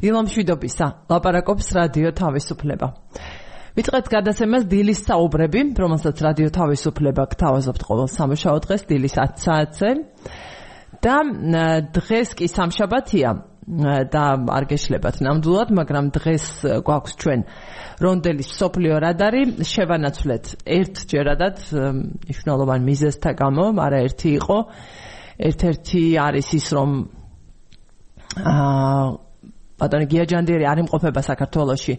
დილამშვიდობისა, ლაპარაკობს რადიო თავისუფლება. ვიწყებთ გადაცემას დილის საუბრები, რომელსაც რადიო თავისუფლება გთავაზობთ ყოველ სამუშაო დღეს დილის 10 საათზე. და დღეს კი სამშაბათია და არ გეშლებათ ნამდვილად, მაგრამ დღეს გვაქვს ჩვენ რონდელის მსოფლიო რადარი. შევანაცვლეთ ერთჯერადად მნიშვნელოვან მიზეზთა გამო, არაერთი იყო. ერთ-ერთი არის ის, რომ ბატონი გიაჯანდიერი არ იმყოფება საქართველოში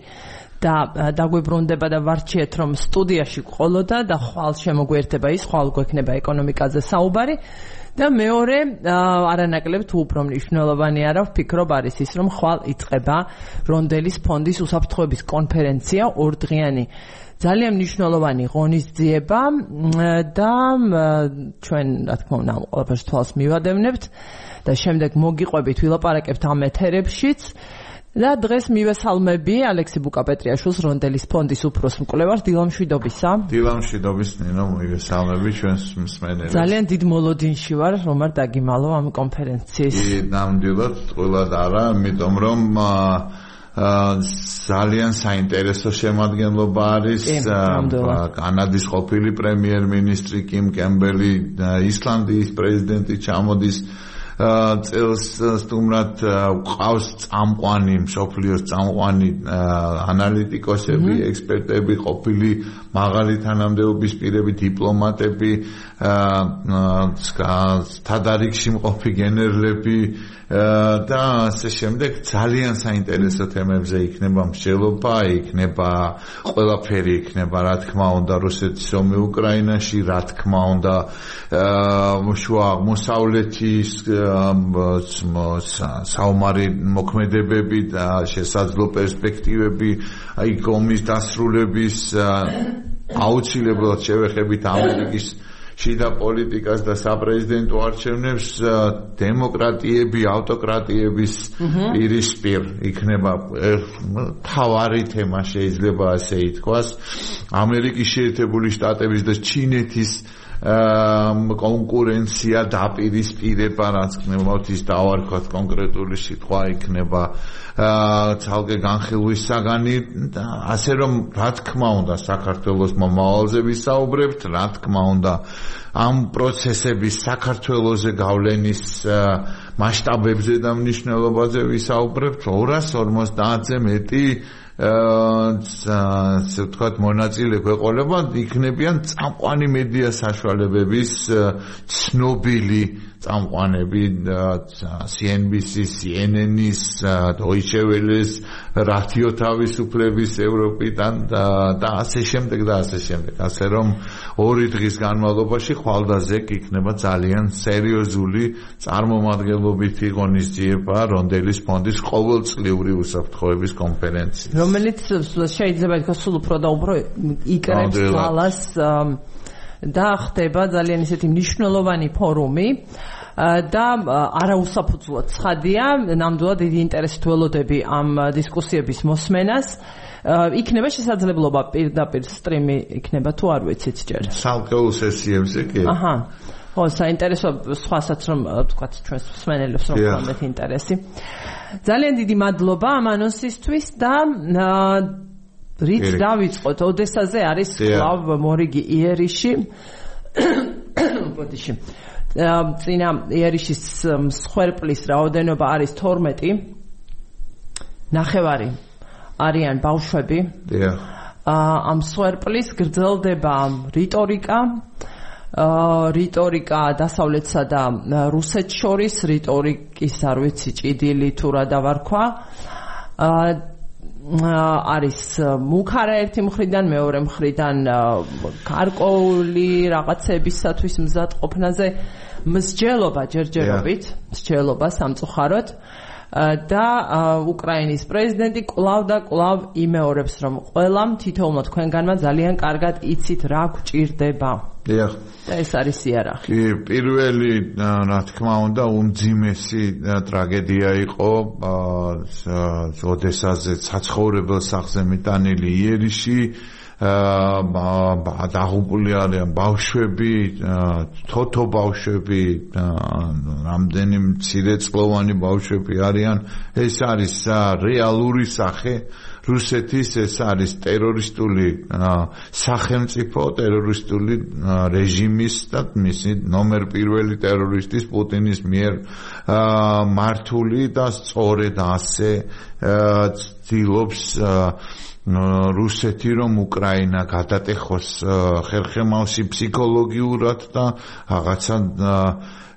და დაგვიბრუნდება და ვარჩიეთ, რომ სტუდიაში ყოლოდა და ხვალ შემოგვერთება ის, ხვალ გვექნება ეკონომიკაზე საუბარი. და მეორე, არანაკლებ თუ უფრო მნიშვნელოვანი არა, ვფიქრობ არის ის, რომ ხვალ იწყება რონდელის ფონდის უსაფრთხოების კონფერენცია, ორდღიანი ძალიან მნიშვნელოვანი ღონისძიება და ჩვენ, რა თქმა უნდა, ყველაფერს თვალს მივადევნებთ და შემდეგ მოგიყვებით ვილაპარაკებთ ამ ეთერებშიც. და დღეს მივესალმები ალექსი ბუკაპეტრიაშვილს, რონდელის ფონდის უფროს მკვლევარს. დილამშვიდობისა. დილამშვიდობის, ნინო, მივესალმები ჩვენს მსმენელებს. ძალიან დიდ მოლოდინში ვარ, რომ არ დაგიმალო ამ კონფერენციის. ნამდვილად, ყველად არა, იმიტომ რომ ძალიან საინტერესო შემადგენლობა არის კანადის ყოფილი პრემიერ-მინისტრი კიმ კემბელი, ისლანდიის პრეზიდენტი ჩამოდის წელს სტუმრად, ყავს წამყვანი, მსოფლიოს წამყვანი ანალიტიკოსები, ექსპერტები, ყოფილი მაღალი თანამდებობის პირები, დიპლომატები, თადარიგში მყოფი გენერლები და ასე შემდეგ. ძალიან საინტერესო თემებზე იქნება მსჯელობა, იქნება ყველაფერი, იქნება რა თქმა უნდა რუსეთის ომი უკრაინაში, რა თქმა უნდა შუა აღმოსავლეთის საომარი მოქმედებები და შესაძლო პერსპექტივები, აი ომის დასრულების, აუცილებლად შევეხებით ამერიკის შიდა პოლიტიკას და საპრეზიდენტო არჩევნებს, დემოკრატიები, ავტოკრატიების პირისპირ იქნება მთავარი თემა, შეიძლება ასე ითქვას. ამერიკის შეერთებული შტატების და ჩინეთის კონკურენცია დაპირისპირება, რაც გნებავთ ის დავარქვათ კონკრეტული სიტყვა იქნება ცალკე განხილვის საგანი. ასე რომ, რა თქმა უნდა, საქართველოს მომავალზე ვისაუბრებთ, რა თქმა უნდა, ამ პროცესების საქართველოზე გავლენის მასშტაბებზე და მნიშვნელობაზე ვისაუბრებთ. 250-ზე მეტი ასე ვთქვათ, მონაწილე გვეყოლება, იქნებიან წამყვანი მედია საშუალებების ცნობილი წამყვანები, CNBC, CNN-ის, Deutsche Welle-ის, რადიო თავისუფლების ევროპიდან და ასე შემდეგ და ასე შემდეგ. ასე რომ 2 დღის განმავლობაში ხვალდაზეკ იქნება ძალიან სერიოზული წარმომადგენლობითი ღონისძიება რონდელის ფონდის ყოველწლიური უსაფრთხოების კონფერენცია, რომელიც შეიძლება ითქვას სულ უფრო და უფრო იკრებს ძალას და ხდება ძალიან ისეთი მნიშვნელოვანი ფორუმი. და არაუსაფუძვლოდ ცხადია, ნამდვილად დიდი ინტერესით ველოდები ამ დისკუსიების მოსმენას. იქნება შესაძლებლობა პირდაპირ სტრიმი იქნება თუ არ ვიცით ჯერ. სამკეულ სესიებზე კი. აჰა. ხო, საინტერესო სხვასაც რომ ვთქვათ ჩვენს მსმენელებს რომ გქონდეთ ინტერესი. ძალიან დიდი მადლობა ამ ანონსისთვის და რით დავიწყოთ? ოდესაზე არის კლავ მორიგი იერიში. ბოდიში. წინა იერიშის მსხვერპლის რაოდენობა არის 12. ნახევარი არიან ბავშვები. ამ მსხვერპლის გრძელდება რიტორიკა დასავლეთსა და რუსეთს შორის, რიტორიკის არ ვიცი ჭიდილი თუ რა დავარქვა. არის მუქარა ერთი მხრიდან, მეორე მხრიდან გარკვეული რაღაცებისათვის მზადყოფნაზე მსჯელობა ჯერჯერობით, მსჯელობა სამწუხაროდ. და უკრაინის პრეზიდენტი კვლავ და კვლავ იმეორებს, რომ ყველამ თითოეულმა თქვენგანმა ძალიან კარგად იცით რა გვჭირდება. და ეს არის იარაღი. კი, პირველი, რა თქმა უნდა, უმძიმესი ტრაგედია იყო ოდესაზე საცხოვრებელ სახლზე მიტანილი იერიში. დაღუპული არიან ბავშვები, თოთო ბავშვები, რამდენი მცირეწლოვანი ბავშვები არიან. ეს არის რეალური სახე რუსეთის, ეს არის ტერორისტული სახელმწიფო, ტერორისტული რეჟიმის და მისი ნომერ პირველი ტერორისტის პუტინის მიერ მართული და სწორედ ასე ცდილობს რუსეთი რომ უკრაინა გადატეხოს ხერხემალში ფსიქოლოგიურად და რაღაცა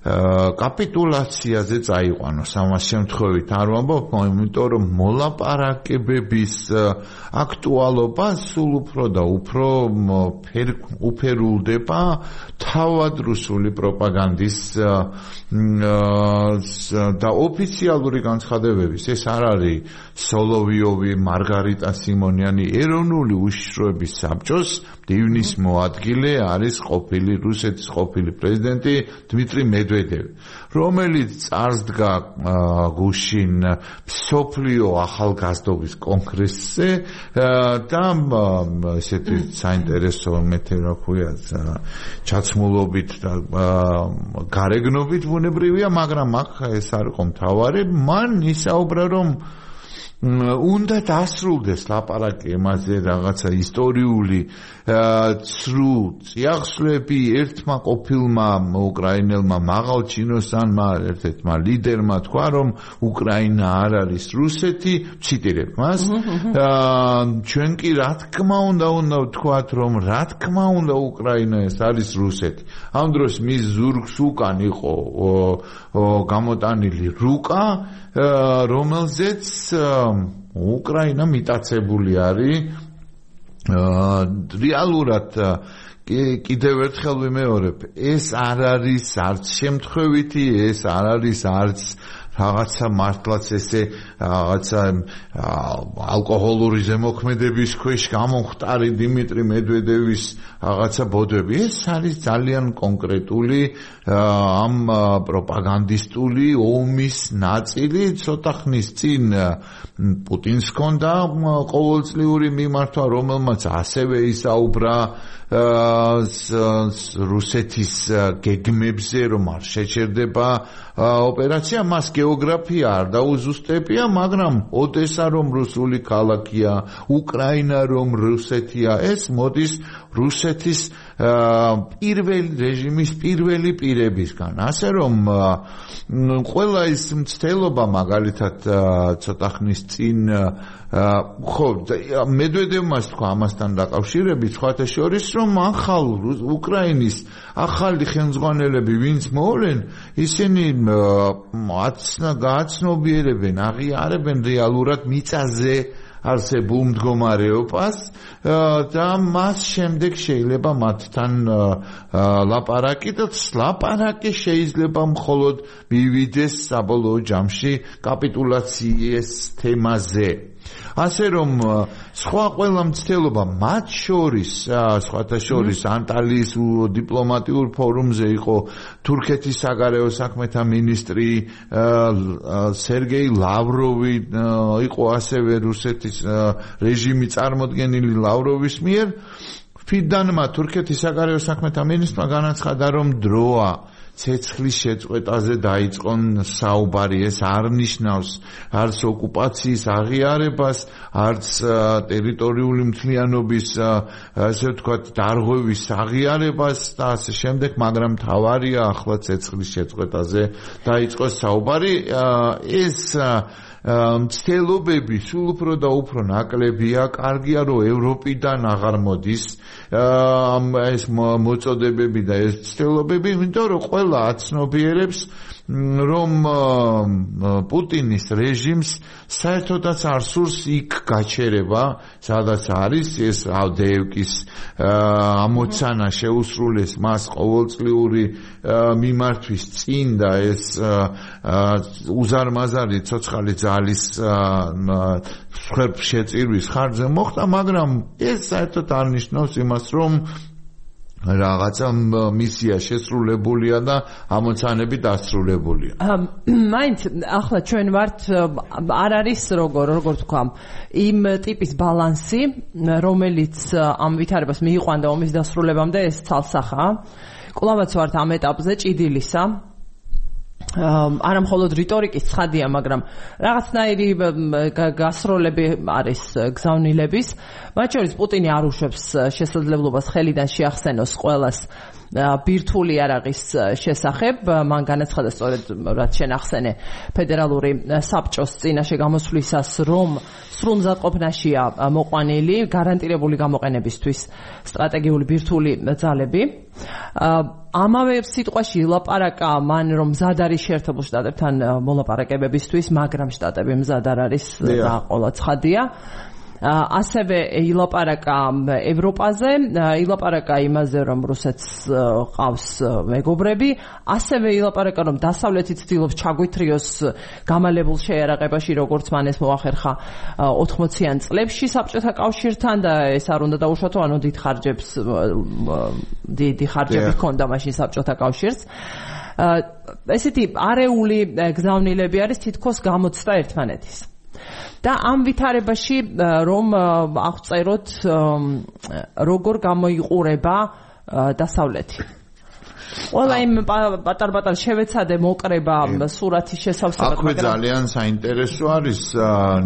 კაპიტულაციაზე წაიყვანოს. ამას შემთხვევით არ ვამბობ, იმიტომ რომ მოლაპარაკებების აქტუალობა სულ უფრო და უფრო უფერულდება თავად რუსული პროპაგანდის და ოფიციალური განცხადებების. ეს არ არის სოლოვიოვი, მარგარიტა სიმონიანი ეროვნული უშიშროების საბჭოს დივნის მოადგილე არის ყოფილი რუსეთის ყოფილი პრეზიდენტი დმიტრი მედვედევი, რომელიც წარსდგა გუშინ მსოფლიო ახალგაზრდობის კონგრესზე და ესეთი საინტერესო რა ქვია ჩაცმულობით და გარეგნობით ბუნებრივია, მაგრამ აქ ეს არ იყო მთავარი. მან ისაუბრა რომ უნდა დასრულდეს ლაპარაკი იმაზე რაღაცა ისტორიული ცრუ წიაღსვლები ერთმა ყოფილმა უკრაინელმა მაღალჩინოსანმა ერთ-ერთმა ლიდერმა თქვა რომ უკრაინა არ არის რუსეთი, ციტირებ მას. ჩვენ კი რა თქმა უნდა ვთქვათ რომ რა თქმა უნდა უკრაინა ეს არის რუსეთი. ამ დროს მის ზურგს უკან იყო გამოტანილი რუკა, რომელზეც უკრაინა მიტაცებული არის. რეალურად კიდევ ერთხელ ვიმეორებ, ეს არ არის არც შემთხვევითი, ეს არ არის არც რაღაცა მართლაც ესე რაღაცა ალკოჰოლური ზემოქმედების ქვეშ გამომხტარი დიმიტრი მედვედევის რაღაცა ბოდვები. ეს არის ძალიან კონკრეტული ამ პროპაგანდისტული ომის ნაწილი. ცოტა ხნის წინ პუტინს ჰქონდა ყოველწლიური მიმართვა, რომელმაც ასევე ისაუბრა რუსეთის გეგმებზე, რომ არ შეჩერდება ოპერაცია. მას გეოგრაფია არ დაუზუსტებია, მაგრამ ოდესა რომ რუსული ქალაქია, უკრაინა რომ რუსეთია, ეს მოდის რუსეთის პირველი რეჟიმის პირველი პირებისგან. ასე რომ ყველა ის მცდელობა მაგალითად ცოტა ხნის წინ ხო მედვედევმა თქვა ამასთან დაკავშირებით სხვათა შორის რომ ახალ უკრაინის ახალი ხელმძღვანელები ვინც მოვლენ ისინი გააცნობიერებენ, აღიარებენ რეალურად მიწაზე არსებულ მდგომარეობას და მას შემდეგ შეიძლება მათთან ლაპარაკი და ლაპარაკი შეიძლება მხოლოდ მივიდეს საბოლოო ჯამში კაპიტულაციის თემაზე. ასე რომ სხვა ყველა მცდელობა მათ შორის სხვათა შორის ანტალიის დიპლომატიურ ფორუმზე იყო თურქეთის საგარეო საქმეთა მინისტრი სერგეი ლავროვი, იყო ასევე რუსეთის რეჟიმი წარმოდგენილი ლავროვის მიერ. ფიდანმა თურქეთის საგარეო საქმეთა მინისტრმა განაცხადა რომ დროა ცეცხლის შეწყვეტაზე დაიწყონ საუბარი. ეს არ ნიშნავს არც ოკუპაციის აღიარებას, არც ტერიტორიული მთლიანობის ასე ვთქვათ დარღვევის აღიარებას და ასე შემდეგ, მაგრამ მთავარია ახლა ცეცხლის შეწყვეტაზე დაიწყოს საუბარი. ეს მცდელობები სულ უფრო და უფრო ნაკლებია. კარგია რომ ევროპიდან აღარ მოდის ეს მოწოდებები და ეს მცდელობები, იმიტომ რომ ყველა აცნობიერებს რომ პუტინის რეჟიმს საერთოდაც არ სურს იქ გაჩერება, სადაც არის ეს ავდეევკის ამოცანა შეუსრულეს მას ყოველწლიური მიმართვის წინ და ეს უზარმაზარი ცოცხალი ძალის შეწირვის ხარჯზე მოხდა, მაგრამ ეს საერთოდ არ ნიშნავს იმას, რომ რაღაცა მისია შესრულებულია და ამოცანები დასრულებულია. მაინც ახლა ჩვენ ვართ არ არის როგორ თქვა იმ ტიპის ბალანსი რომელიც ამ ვითარებას მიიყვანდა ომის დასრულებამდე ეს ცალსახაა. კვლავაც ვართ ამ ეტაპზე ჭიდილისა არა მხოლოდ რიტორიკის ცხადია, მაგრამ რაღაცნაირი გასროლები არის გზავნილების. მათ შორის პუტინი არ უშვებს შესაძლებლობას ხელიდან შეახსენოს ყველას ბირთვული იარაღის შესახებ. მან განაცხადა სწორედ რაც შენ ახსენე ფედერალური საბჭოს წინაშე გამოსვლისას, რომ სრულ მზადყოფნაშია მოყვანილი გარანტირებული გამოყენებისთვის სტრატეგიული ბირთვული ძალები. ამავე სიტყვაში ილაპარაკა მან რომ მზად არის შეერთებულ შტატებთან მოლაპარაკებებისთვის, მაგრამ შტატები მზად არ არის და ყოლა ცხადია. ასევე ილაპარაკა ევროპაზე, ილაპარაკა იმაზე რომ რუსეთს ყავს მეგობრები, ასევე ილაპარაკა რომ დასავლეთი ცდილობს ჩაგვითრიოს გამალებულ შეიარაღებაში, როგორც მან ეს მოახერხა 80-იან წლებში საბჭოთა კავშირთან და ეს არ უნდა დაუშვათო, ანუ დიდი ხარჯები ჰქონდა მაშინ საბჭოთა კავშირს. ესეთი არეული გზავნილები არის თითქოს გამოცდა ერთმანეთის. და ამ ვითარებაში რომ აღწეროთ როგორ გამოიყურება დასავლეთი. ყველა იმ პატარ-პატარ შევეცადე მოკრება სურათის შესავსებად. აქვე ძალიან საინტერესო არის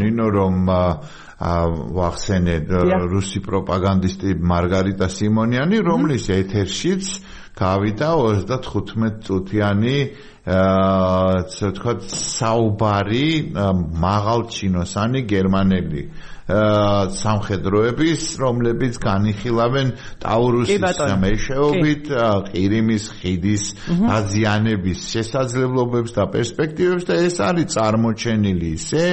ნინო რომ ვახსენე რუსი პროპაგანდისტი მარგარიტა სიმონიანი, რომლის ეთერშიც გავიდა 35 წუთიანი ვთქვათ საუბარი მაღალჩინოსანი გერმანელი სამხედროების, რომლებიც განიხილავენ ტაურუსის მეშვეობით ყირიმის ხიდის დაზიანების შესაძლებლობებს და პერსპექტივებს და ეს არის წარმოჩენილი ისე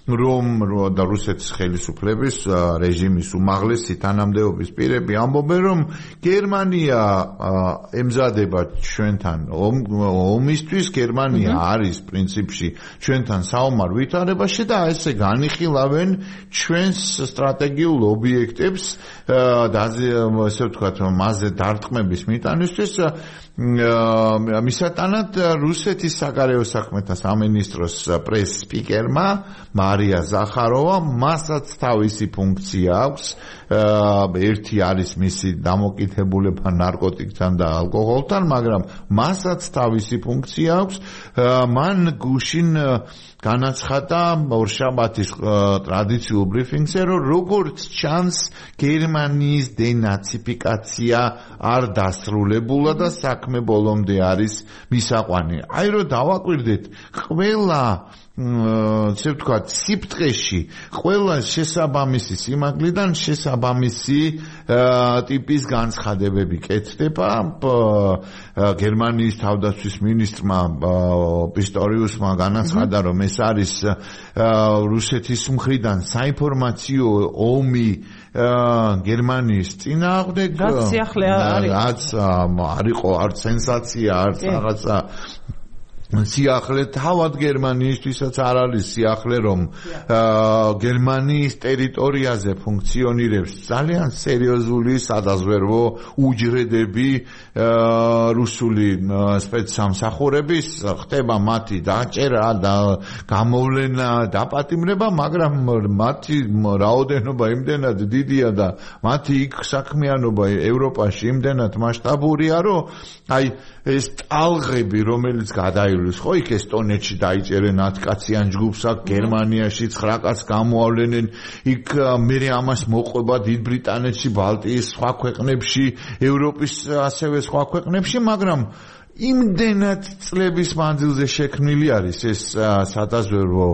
რომ და რუსეთის ხელისუფლების რეჟიმის უმაღლესი თანამდებობის პირები ამბობენ რომ გერმანია ემზადება ჩვენთან ომისთვის, გერმანია არის პრინციპში ჩვენთან საომარ ვითარებაში და ესე განიხილავენ ჩვენს სტრატეგიულ ობიექტებს ასე ვთქვათ მასზე დარტყმების მიტანისთვის მისატანად რუსეთის საგარეო საქმეთა სამინისტროს პრეს-სპიკერმა მარია ზახაროვა მასაც თავისი ფუნქცია აქვს. ერთი არის მისი დამოკიდებულება ნარკოტიკთან და ალკოჰოლთან, მაგრამ მასაც თავისი ფუნქცია აქვს. მან გუშინ განაცხადა ორშაბათის ტრადიციულ ბრიფინგზე, რომ როგორც ჩანს გერმანიის დენაციფიკაცია არ დასრულებულა და საქმე ბოლომდე არის მისაყვანი. აი რომ დავაკვირდეთ, ყველა ასე ვთქვათ, სიფტყეში ყველა შესაბამისი სიმაგლიდან შესაბამისი ტიპის განცხადებები კეთდება. გერმანიის თავდაცვის მინისტრმა პისტორიუსმა განაცხადა, რომ ეს არის რუსეთის მხრიდან საინფორმაციო ომი გერმანიის წინააღმდეგ, რაც არ იყო არც სენსაცია, არც რაღაცა სიახლე თავად გერმანიისთვისაც არ არის სიახლე, რომ გერმანიის ტერიტორიაზე ფუნქციონირებს ძალიან სერიოზული სადაზვერვო უჯრედები რუსული სპეცსამსახურების, ხდება მათი დაჭერა და გამოვლენა, დაპატიმრება, მაგრამ მათი რაოდენობა იმდენად დიდია და მათი იქ საქმიანობა ევროპაში იმდენად მასშტაბურია, რომ აი ეს ტალღები, რომელიც გადაივლის, ხო, იქ ესტონეთში დაიჭერენ 10 კაციან ჯგუფს, აქ გერმანიაში 9 კაცს გამოავლენენ, იქ მერე ამას მოყვება დიდ ბრიტანეთში, ბალტიის სხვა ქვეყნებში, ევროპის ასევე სხვა ქვეყნებში, მაგრამ იმდენად წლების მანძილზე შექმნილი არის ეს სადაზვერვო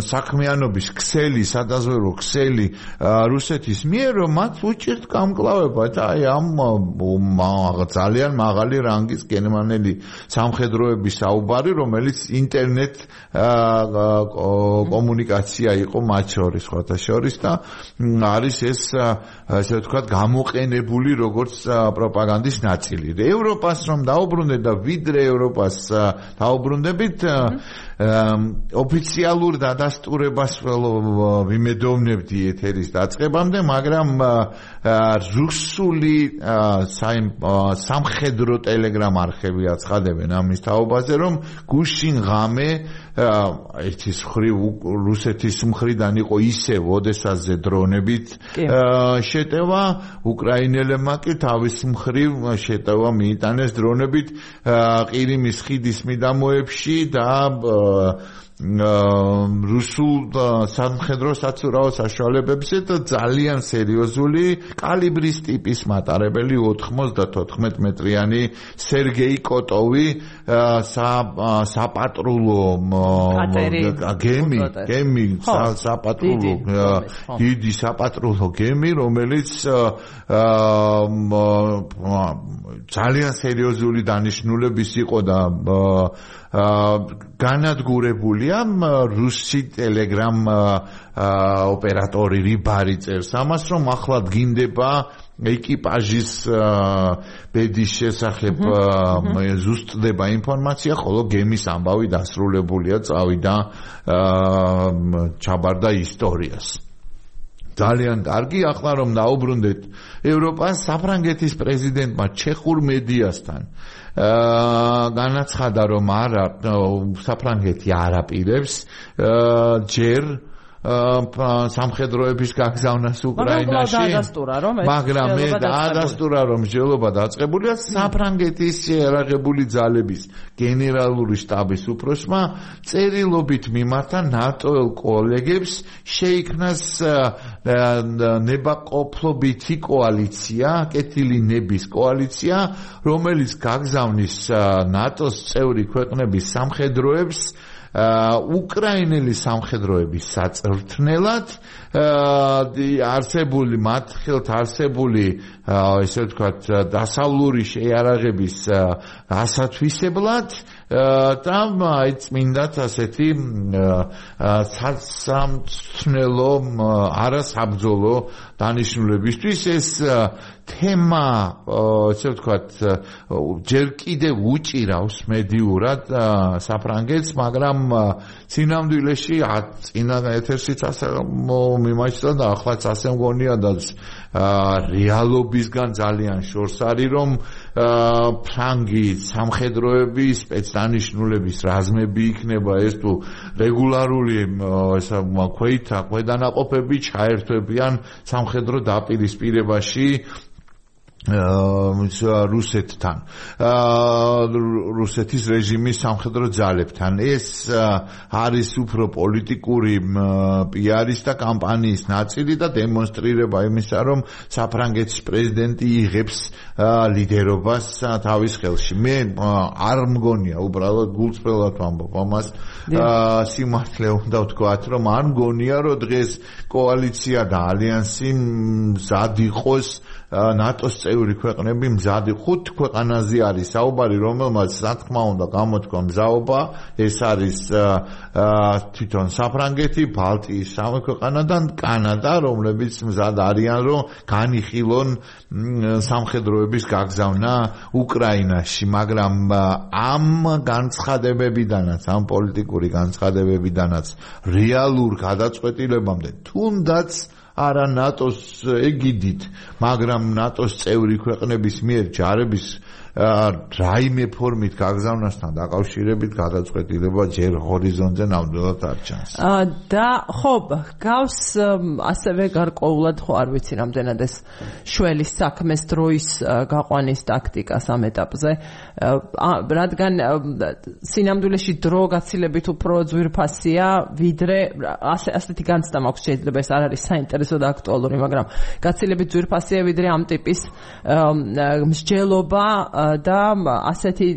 საქმიანობის ქსელი, სადაზვერვო ქსელი რუსეთის მიერ, რომ მათ უჭირთ გამკლავება და აი ამ ძალიან მაღალი რანგის გერმანელი სამხედროების საუბარი, რომელიც ინტერნეტ კომუნიკაცია იყო მათ შორის, სხვათა შორის და არის ეს ასე ვთქვათ გამოყენებული როგორც პროპაგანდის ნაწილი. ევროპას რომ დაუბრუნდეთ და ვიდრე ევროპას დაუბრუნდებით, ოფიციალურ დადასტურებას ვიმედოვნებდი ეთერის დაწყებამდე, მაგრამ რუსული სამხედრო ტელეგრამ არხები აცხადებენ ამის თაობაზე, რომ გუშინ ღამე ერთის მხრივ რუსეთის მხრიდან იყო ისევ ოდესაზე დრონებით შეტევა, უკრაინელებმა კი თავის მხრივ შეტევა მიიტანეს დრონებით ყირიმის ხიდის მიდამოებში და რუსულ სამხედრო საცურაო საშუალებებზე და ძალიან სერიოზული კალიბრის ტიპის მატარებელი 94 მეტრიანი სერგეი კოტოვი საპატრულო გემი საპატრულო დიდი საპატრულო გემი, რომელიც ძალიან სერიოზული დანიშნულების იყო და განადგურებულია რუსი ტელეგრამ ოპერატორი რიბარი წერს ამას, რომ ახლა დგინდება ეკიპაჟის ბედის შესახებ ზუსტდება ინფორმაცია, ხოლო გემის ამბავი დასრულებულია, წავიდა ჩაბარდა ისტორიას. ძალიან კარგი, ახლა რომ დაუბრუნდეთ ევროპას, საფრანგეთის პრეზიდენტმა ჩეხურ მედიასთან განაცხადა, რომ საფრანგეთი არ აპირებს ჯერ სამხედროების გაგზავნას უკრაინაში, მაგრამ მე დაადასტურა, რომ მსჯელობა დაწყებულია საფრანგეთის შეიარაღებული ძალების გენერალური შტაბის უფროსმა წერილობით მიმართა ნატოელ კოლეგებს შეიქმნას ნებაყოფლობითი კოალიცია, კეთილი ნების კოალიცია, რომელიც გაგზავნის ნატოს წევრი ქვეყნების სამხედროებს უკრაინელი სამხედროების საწვრთნელად არსებული მათ ხელთ არსებული ესე ვთქვათ დასავლური შეიარაღების ასათვისებლად და წმინდათ ასეთი სამწვრთნელო არასაბრძოლო დანიშნულებისთვის ეს თემა ესე ვთქვათ ჯერ კიდევ უჭირავს მედიურად საფრანგეთს, მაგრამ წინამდვილეში წინა ეთერსიც ასე მიმაჩნდა და ახლაც ასე მგონია და რეალობისგან ძალიან შორს არის, რომ ფრანგი სამხედროები სპეცდანიშნულების რაზმები იქნება ეს თუ რეგულარული ქვედანაყოფები ჩაერთვებიან სამხედრო დაპირისპირებაში რუსეთთან, რუსეთის რეჟიმის სამხედრო ძალებთან. ეს არის უფრო პოლიტიკური პიარის და კამპანიის ნაწილი და დემონსტრირება იმისა, რომ საფრანგეთის პრეზიდენტი იღებს ლიდერობას თავის ხელში. მე არ მგონია, უბრალოდ გულწრფელად ვამბობ ამას, სიმართლე უნდა ვთქვათ, რომ არ მგონია, რომ დღეს კოალიცია და ალიანსი მზად იყოს ნატოს წევრი ქვეყნები მზად 5 ქვეყანაზე არის საუბარი, რომელმაც სათქმა უნდა გამოთქვა მზაობა, ეს არის თვითონ საფრანგეთი, ბალტიის 3 ქვეყანა და კანადა, რომლებიც მზად არიან, რომ განიხილონ სამხედროების გაგზავნა უკრაინაში, მაგრამ ამ განცხადებებიდანაც, ამ პოლიტიკური განცხადებებიდანაც რეალურ გადაწყვეტილებამდე თუნდაც არა ნატოს ეგიდით, მაგრამ ნატოს წევრი ქვეყნების მიერ ჯარების რაიმე ფორმით გაგზავნასთან დაკავშირებით გადაწყვეტილება ჯერ ჰორიზონტზე ნამდვილად არ ჩანს. და ხო, გავს ასევე გარკვეულად ხო არ ვიცი რამდენად ეს შველის საქმეს დროის გაყვანის ტაქტიკას ამ ეტაპზე, რადგან სინამდვილეში დრო გაცილებით უფრო ძვირფასია, ვიდრე ასეთი განცდა მაქვს, შეიძლება ეს არ არის საინტერესო და აქტუალური, მაგრამ გაცილებით ძვირფასია ვიდრე ამ ტიპის მსჯელობა და ასეთი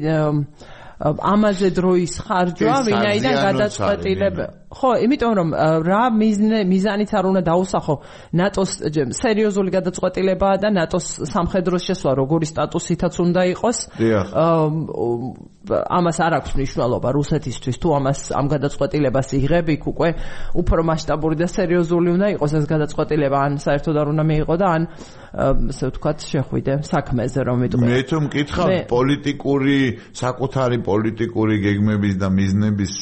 ამაზე დროის ხარჯვა, ვინაიდან გადაწყვეტილება ხო, იმიტომ რომ რა მიზანიც არ უნდა დაუსახო ნატოს სერიოზული გადაწყვეტილებაა და ნატოს სამხედრო შესვლა როგორი სტატუსითაც უნდა იყოს. ამას არ აქვს მნიშვნელობა რუსეთისთვის, თუ ამ გადაწყვეტილებას იღებ, იქ უკვე უფრო მასშტაბური და სერიოზული უნდა იყოს ეს გადაწყვეტილება, ან საერთოდ არ უნდა მიიღო და ან ასე ვთქვათ შეხვიდე საქმეზე, რომ იტყვი. მე თუ მკითხავ პოლიტიკური საკუთარი პოლიტიკური გეგმების და მიზნების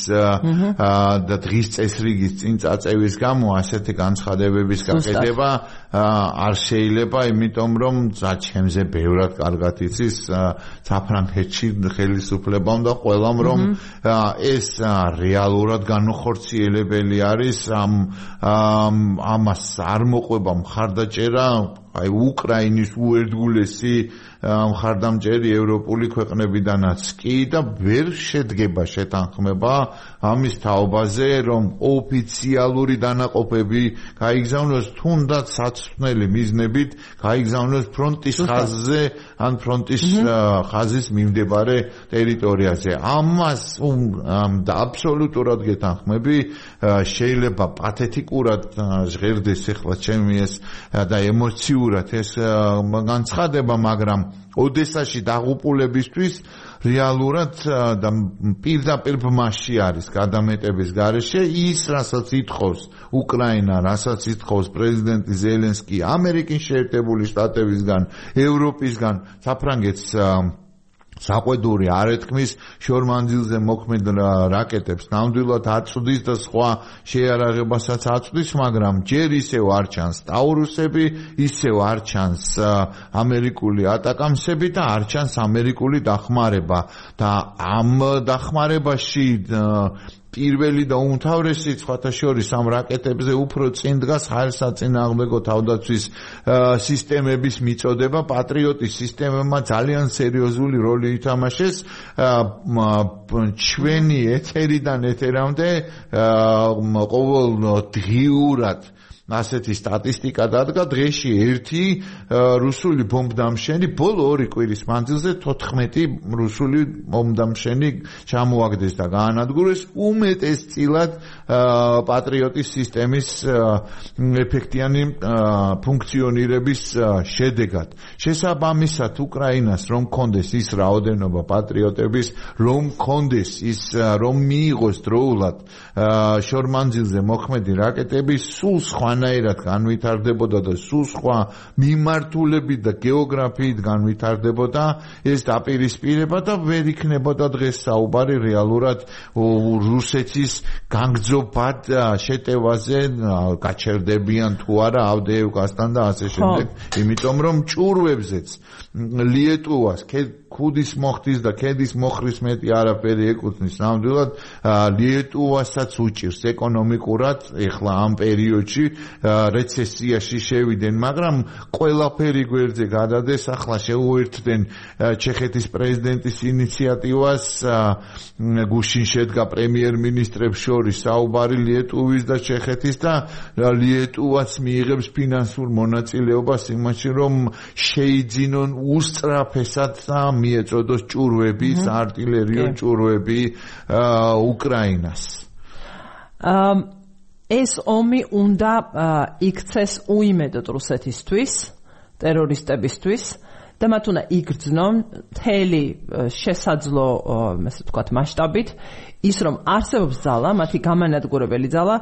და დღის წესრიგის წინ წაწევის გამო ასეთი განცხადებების გაკეთება არ შეიძლება, იმიტომ რომ ჩემზე ბევრად კარგად იცის საფრანგეთში ხელისუფლებამ და ყველამ რომ ეს რეალურად განუხორციელებელი არის ამას არ მოყვება მხარდაჭერა აი უკრაინის უერთგულესი მხარდამჭერი ევროპული ქვეყნებიდანაც კი და ვერ შედგება შეთანხმება ამის თაობაზე რომ ოფიციალური დანაყოფები გაიგზავნოს თუნდაც საცვლელი მიზნებით გაიგზავნოს ფრონტის ხაზზე ან ფრონტის ხაზის მიმდებარე ტერიტორიაზე ამას და აბსოლუტურად გეთანხმები შეიძლება პათეტიკურად ჟღერდეს ახლა ჩემი ეს და ემოციურად ეს განცხადება მაგრამ ოდესაში დაღუპულებისთვის რეალურად და პირდაპირ ბმაში არის გადამეტების გარეშე ის რასაც ითხოვს უკრაინა რასაც ითხოვს პრეზიდენტი ზელენსკი ამერიკის შეერთებული შტატებისგან ევროპისგან საფრანგეთს საყვედური არ ეთქმის შორმანძილზე მოქმედ რაკეტებს ნამდვილად აწვდის და სხვა შეიარაღებასაც აწვდის, მაგრამ ჯერ ისევ არ ჩანს ტაურუსები, ისევ არ ჩანს ამერიკული ატაკამსები და არ ჩანს ამერიკული დახმარება და ამ დახმარებაში პირველი და უმთავრესი სხვათა შორის ამ რაკეტებზე უფრო წინ დგას ჰაერსაწინააღმდეგო თავდაცვის სისტემების მიწოდება პატრიოტის სისტემებმა ძალიან სერიოზული როლი ითამაშეს ჩვენი ეთერიდან ეთერამდე ყოველ დღიურად ასეთი სტატისტიკა დადგა დღეში ერთი რუსული ბომბდამშენი ბოლო 2 კვირის მანძილზე 14 რუსული ბომბდამშენი ჩამოაგდეს და გაანადგურეს უმეტესწილად პატრიოტის სისტემის ეფექტიანი ფუნქციონირების შედეგად შესაბამისად უკრაინას რომ კონდეს ის რაოდენობა პატრიოტების რომ კონდეს ის რომ მიიღოს დროულად შორმანძილზე მოქმედი რაკეტები სულ სხვანაირად განვითარდებოდა და სულ სხვა მიმართულებით და გეოგრაფიით განვითარდებოდა ეს დაპირისპირება და ვერ იქნებოდა დღეს საუბარი რეალურად რუსეთის განგრძობად შეტევაზე გაჩერდებიან თუ არა ავდეევკასთან და ასე შემდეგ იმიტომ რომ ჭურვებზეც ლიეტუვას ქუდის მოხდის და ქედის მოხრის მეტი არაფერი ეკუთვნის ნამდვილად ლიეტუვასაც უჭირს ეკონომიკურად ეხლა ამ პერიოდში რეცესიაში შევიდნენ მაგრამ ყველაფერი გვერდზე გადადეს ახლა შეუერთდნენ ჩეხეთის პრეზიდენტის ინიციატივას გუშინ შედგა პრემიერ-მინისტრებს შორის საუბარი ლიეტუვის და ჩეხეთის და ლიეტუვაც მიიღებს ფინანსურ მონაწილეობას იმაში რომ შეიძინონ უსწრაფესად მიეწოდოს ჭურვები, არტილერიო ჭურვები უკრაინას. ეს ომი უნდა იქცეს უიმედოდ რუსეთისთვის, ტერორისტებისთვის და მათ უნდა იგრძნონ მთელი შესაძლო, ასე ვთქვათ, მასშტაბით ის რომ არსებობს ძალა, მათი გამანადგურებელი ძალა,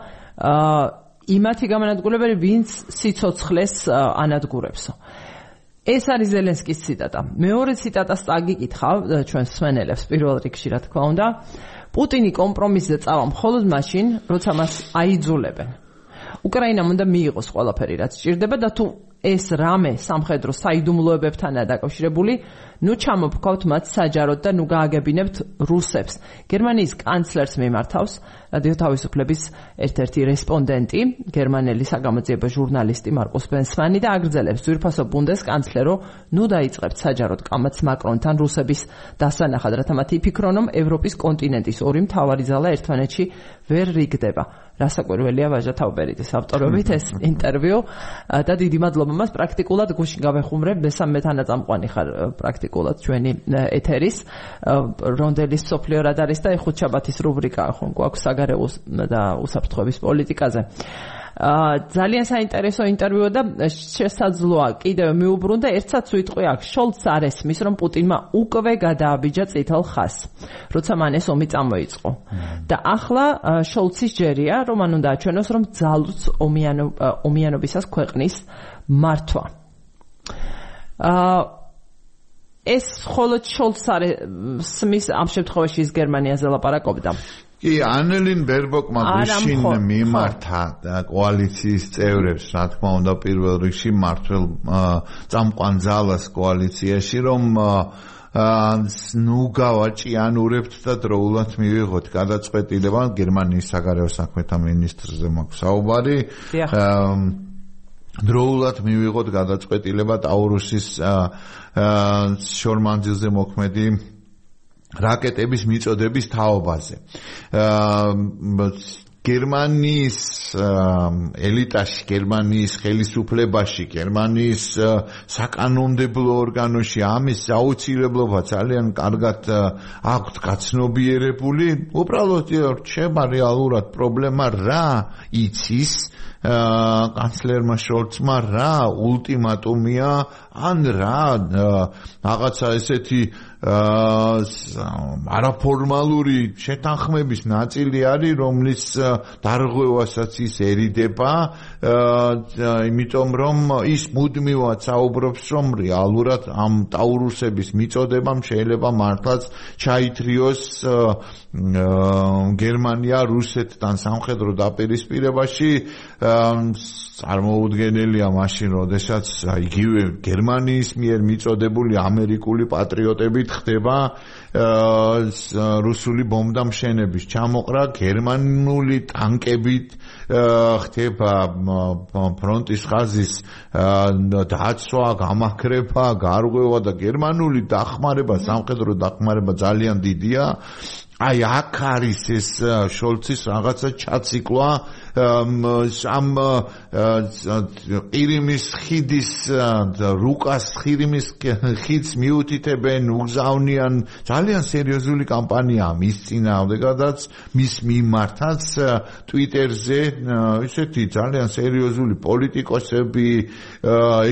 იმათი გამანადგურებელი, ვინც სიცოცხლეს ანადგურებსო. ეს არის ზელენსკის ციტატა. მეორე ციტატას წაგიკითხავ ჩვენ მსმენელებს პირველ რიგში რა თქმა უნდა. პუტინი კომპრომისზე წავა მხოლოდ მაშინ, როცა მას აიძულებენ. უკრაინამ უნდა მიიღოს ყველაფერი, რაც სჭირდება და თუ ეს რამე სამხედრო საიდუმლოებებთანაა დაკავშირებული, ნუ ჩამოვქვავთ მათ საჯაროდ და ნუ გააგებინებთ რუსებს. გერმანიის კანცლერს მიმართავს რადიო თავისუფლების ერთ-ერთი რესპონდენტი, გერმანელი საგამოძიებო ჟურნალისტი მარკუს ბენსმანი და აგრძელებს ძვირფასო ბუნდესკანცლერო, ნუ დაიწყებთ საჯაროდ კამათს მაკრონთან რუსების დასანახად, რათა მათ იფიქრონ, რომ ევროპის კონტინენტის ორი მთავარი ძალა ერთმანეთში ვერ რიგდება. რასაკვირველია ვაჟა თავბერიძის ავტორობით ეს ინტერვიუ და დიდი მადლობა მას პრაქტიკულად გუშინ გავეხუმრებ მესამე თანაწამყვანი ხარ პრაქტიკულად ჩვენი ეთერის რონდელის სოფლიო რადარის და ხუთშაბათის რუბრიკა ხომ გვაქვს საგარეო და უსაფრთხოების პოლიტიკაზე. ძალიან საინტერესო ინტერვიუ და შესაძლოა კიდევ მიუბრუნდა ერთსაც უიტყვი აქ შოლცს არ ესმის რომ პუტინმა უკვე გადააბიჯა წითელ ხაზს როცა მან ეს ომი წამოიწყო და ახლა შოლცის ჯერია რომ მან უნდა აჩვენოს რომ ძალუც ომიანობისას ქვეყნის მართვა ეს მხოლოდ შოლცს არის სმის ამ შემთხვევაში ის გერმანიაზე ლაპარაკობდა. კი, ანელინ ბერბოკმა გუშინ მიმართა კოალიციის წევრებს, რა თქმა უნდა, პირველ რიგში მართლ წამყვან ძალას კოალიციაში, რომ ნუ გავაჭიანურებთ და დროულად მივიღოთ გადაწყვეტილება გერმანიის საგარეო საქმეთა მინისტრზე მაქვს საუბარი. დროულად მივიღოთ გადაწყვეტილება ტაურუსის შორმანძილზე მოქმედი რაკეტების მიწოდების თაობაზე. გერმანიის ელიტაში, გერმანიის ხელისუფლებაში, გერმანიის საკანონმდებლო ორგანოში ამის აუცილებლობა ძალიან კარგად აქვთ გაცნობიერებული. უბრალოდ რჩება რეალურად პრობლემა რა იცის კანცლერმა შოლცმა რა ულტიმატუმია ან რა რაღაცა ესეთი არაფორმალური შეთანხმების ნაწილი არის, რომლის დარღვევასაც ის ერიდება, იმიტომ რომ ის მუდმივად საუბრობს, რომ რეალურად ამ ტაურუსების მიწოდებამ შეიძლება მართლაც ჩაითრიოს გერმანია რუსეთთან სამხედრო დაპირისპირებაში. წარმოუდგენელია მაშინ, როდესაც იგივე გერმანიის მიერ მიწოდებული ამერიკული პატრიოტებით ხდება რუსული ბომბდამშენების ჩამოყრა, გერმანული ტანკებით ხდება ფრონტის ხაზის დაცვა, გამაქრება, გარღვევა და გერმანული დახმარება, სამხედრო დახმარება ძალიან დიდია. აი აქ არის ეს შოლცის რაღაცა ჩაციკლა ამ ყირიმის ხიდის რუკას ყირიმის ხიდს მიუთითებენ, უგზავნიან ძალიან სერიოზული კამპანიაა მის წინააღმდეგადაც, მის მიმართაც ტვიტერზე ისეთი ძალიან სერიოზული პოლიტიკოსები,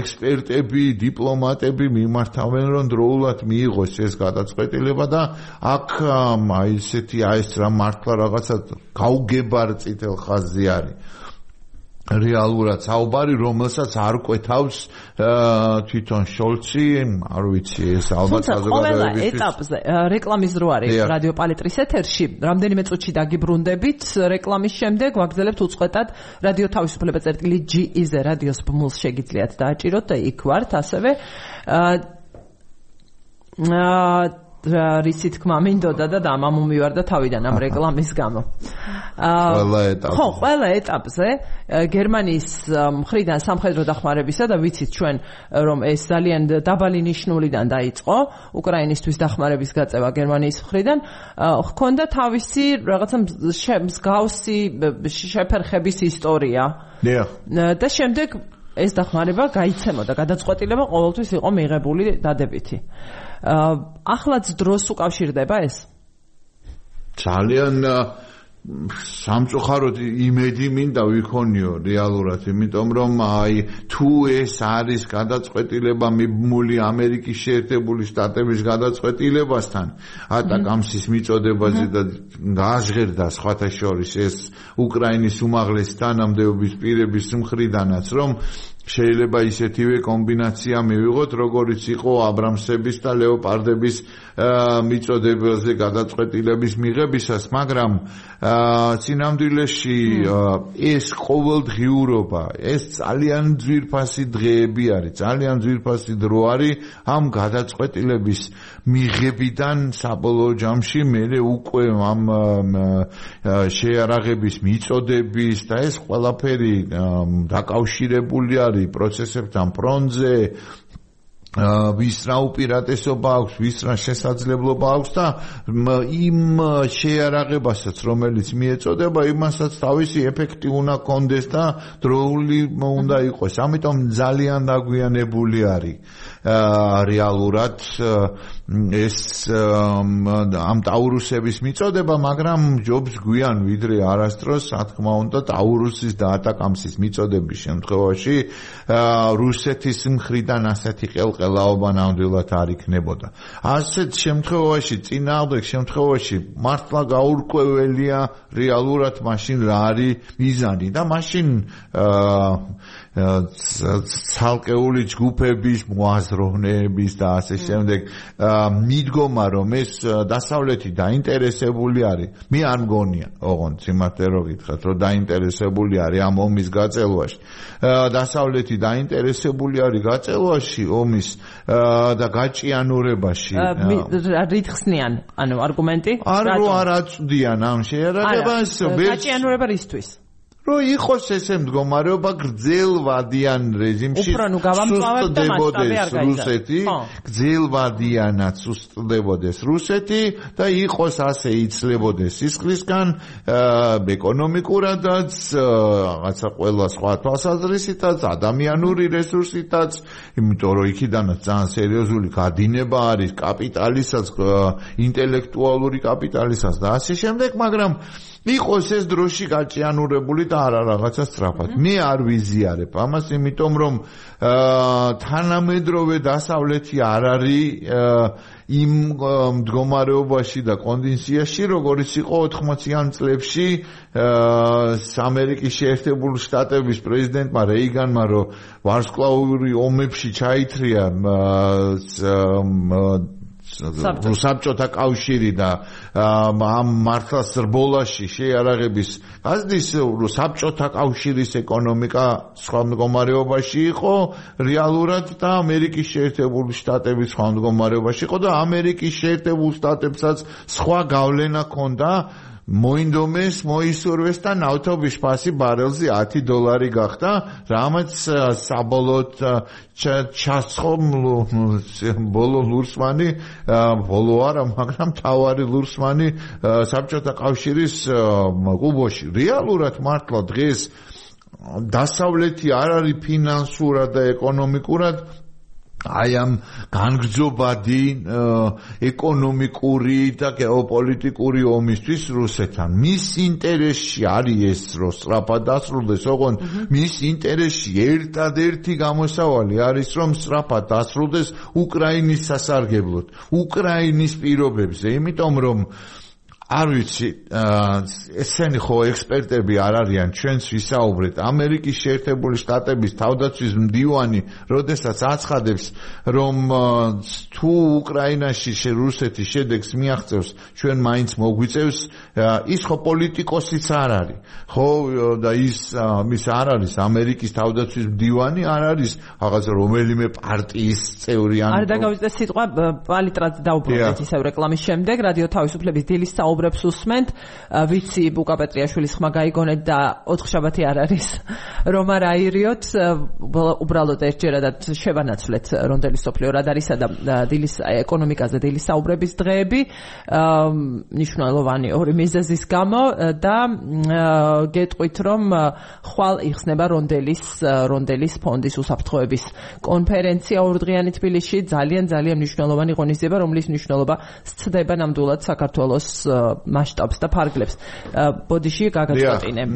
ექსპერტები, დიპლომატები მიმართავენ, რომ დროულად მიიღოს ეს გადაწყვეტილება და აქ აი ესეთი ეს რა მართლა რაღაცა გაუგებარ წითელ ხაზზე არის. რეალურად საუბარი, რომელსაც არ კვეთავს თვითონ შოლცი, არ ვიცი, ეს ალბათ საზოგადოებისთვის. ყველა ეტაპზე რეკლამის დრო არის რადიო პალეტრის ეთერში. რამდენიმე წუთში დაგიბრუნდებით, რეკლამის შემდეგ ვაგრძელებთ უწყვეტად რადიო თავისუფლება.ge-ზე რადიოს ბმულს შეგიძლიათ დააჭიროთ და იქ ვართ ასევე რისი თქმა მინდოდა და დამამომივარდა თავიდან ამ რეკლამის გამო. ყველა ეტაპზე გერმანიის მხრიდან სამხედრო დახმარებისა და ვიცით ჩვენ რომ ეს ძალიან დაბალი ნიშნულიდან დაიწყო უკრაინისთვის დახმარების გაწევა გერმანიის მხრიდან, ჰქონდა თავისი რაღაცა მსგავსი შეფერხების ისტორია. და შემდეგ ეს დახმარება გაიცემოდა, გადაწყვეტილება ყოველთვის იყო მიღებული დადებითი. ახლაც დროს უკავშირდება ეს? ძალიან სამწუხაროდ იმედი მინდა ვიქონიო რეალურად, იმიტომ რომ აი თუ ეს არის გადაწყვეტილება მიბმული ამერიკის შეერთებული შტატების გადაწყვეტილებასთან, ატაკამსის მიწოდებაზე და გააჟღერდა სხვათა შორის ეს უკრაინის უმაღლესი თანამდებობის პირების მხრიდანაც, რომ შეიძლება ისეთივე კომბინაცია მივიღოთ, როგორიც იყო აბრამსების და ლეოპარდების მიწოდებაზე გადაწყვეტილების მიღებისას, მაგრამ წინამძღოლში ეს ყოველდღიურობა, ეს ძალიან ძვირფასი დღეები არის, ძალიან ძვირფასი დრო არის ამ გადაწყვეტილების მიღებიდან საბოლოო ჯამში მერე უკვე ამ შეარაღების მიწოდების და ეს ყველაფერი დაკავშირებული არის პროცესებთან ფრონტზე, ვის რა უპირატესობა აქვს, ვის რა შესაძლებლობა აქვს და იმ შეარაღებასაც, რომელიც მიეწოდება, იმასაც თავისი ეფექტი უნდა კონდეს და დროული უნდა იყოს. ამიტომ ძალიან დაგვიანებული არის რეალურად ეს ამ ტაურუსების მიწოდება, მაგრამ ჯობს გვიან ვიდრე არასდროს, რა თქმა უნდა, ტაურუსის და ატაკამსის მიწოდების შემთხვევაში რუსეთის მხრიდან ასეთი ბროყელაობა ნამდვილად არ იქნებოდა. ასეთ შემთხვევაში, წინააღმდეგ შემთხვევაში მართლა გაურკვეველია რეალურად მაშინ რა არის მიზანი და მაშინ ცალკეული ჯგუფების მოაზროვნეების და ასე შემდეგ მიდგომა რომ ეს დასავლეთი დაინტერესებული არის მე არ მგონია ოღონდ სიმართლე რო გითხრათ რომ დაინტერესებული არის ამ ომის გაწელვაში დასავლეთი დაინტერესებული არის გაწელვაში ომის და გაჭიანურებაში რითხსნიან ანუ არგუმენტი არ აწვდიან ამ შეერაგებას გაჭიანურება რისთვის რო იყოს ესე მდგომარეობა გრძელვადიან რეჟიმში სუსტდებოდეს რუსეთი გრძელვადიანად სუსტდებოდეს რუსეთი და იყოს ასე იცლებოდეს სისხლისგან ეკონომიკურადაც რაღაცა ყველა სხვა თვალსაზრისითაც ადამიანური რესურსითაც იმიტომ რომ იქიდანაც ძალიან სერიოზული გადინება არის კაპიტალისას ინტელექტუალური კაპიტალისას და ასე შემდეგ მაგრამ იყოს ეს დროში გაჭიანურებული და არა რაღაცა სწრაფად. მე არ ვიზიარებ ამას, იმიტომ რომ თანამედროვე დასავლეთი არ არის იმ მდგომარეობაში და კონდიციაში, როგორც იყო 80-იან წლებში ამერიკის შეერთებული შტატების პრეზიდენტმა რეიგანმა, რომ ვარსკვლავური ომებში ჩაითრია საბჭოთა კავშირი და ამ მართლაც რბოლაში შეიარაღების გაზდის საბჭოთა კავშირის ეკონომიკა სხვა მდგომარეობაში იყო რეალურად და ამერიკის შეერთებული შტატების სხვა მდგომარეობაში იყო და ამერიკის შეერთებულ შტატებსაც სხვა გავლენა ჰქონდა მოინდომეს, მოისურვეს და ნავთობის ფასი ბარელზე $10 გახდა, რამაც საბოლოოდ ჩასხო ბოლო ლურსმანი, ბოლო არა, მაგრამ თავარი ლურსმანი საბჭოთა კავშირის კუბოში. რეალურად მართლა დღეს დასავლეთი არ არის ფინანსურად და ეკონომიკურად აი ამ განგრძობადი ეკონომიკური და გეოპოლიტიკური ომისთვის რუსეთთან. მის ინტერესში არის ეს, რომ სწრაფად დასრულდეს, ოღონდ მის ინტერესში ერთადერთი გამოსავალი არის, რომ სწრაფად დასრულდეს უკრაინის სასარგებლოდ, უკრაინის პირობებზე, იმიტომ რომ არ ვიცი, ესენი ხო ექსპერტები არ არიან, ჩვენც ვისაუბრეთ, ამერიკის შეერთებული შტატების თავდაცვის მდივანი, როდესაც აცხადებს, რომ თუ უკრაინაში რუსეთი შედეგს მიაღწევს, ჩვენ მაინც მოგვიწევს, ის ხო პოლიტიკოსიც არ არის, ხო და ის არ არის ამერიკის თავდაცვის მდივანი, არ არის რაღაც რომელიმე პარტიის წევრი ან არ დაგავიწყდეს სიტყვა პალიტრად დაუბრუნდეთ ისევ რეკლამის შემდეგ, რადიო თავისუფლების დილის საუბრებს უსმენთ, ვიცი ბუკა პეტრიაშვილის ხმა გაიგონეთ და 4 შაბათი არ არის რომ არ აირიოთ, უბრალოდ ერთჯერადად შევანაცვლეთ რონდელი სოფლიო რადარისა და დილის ეკონომიკაზე დილის საუბრების დღეები, მნიშვნელოვანი ორი მიზეზის გამო და გეტყვით რომ ხვალ იხსნება რონდელის ფონდის უსაფრთხოების კონფერენცია ორდღიანი თბილისში, ძალიან მნიშვნელოვანი ღონისძიება, რომლის მნიშვნელობა სცდება ნამდვილად საქართველოს მასშტაბს და ფარგლებს. ბოდიში გაგაწყვეტინებ.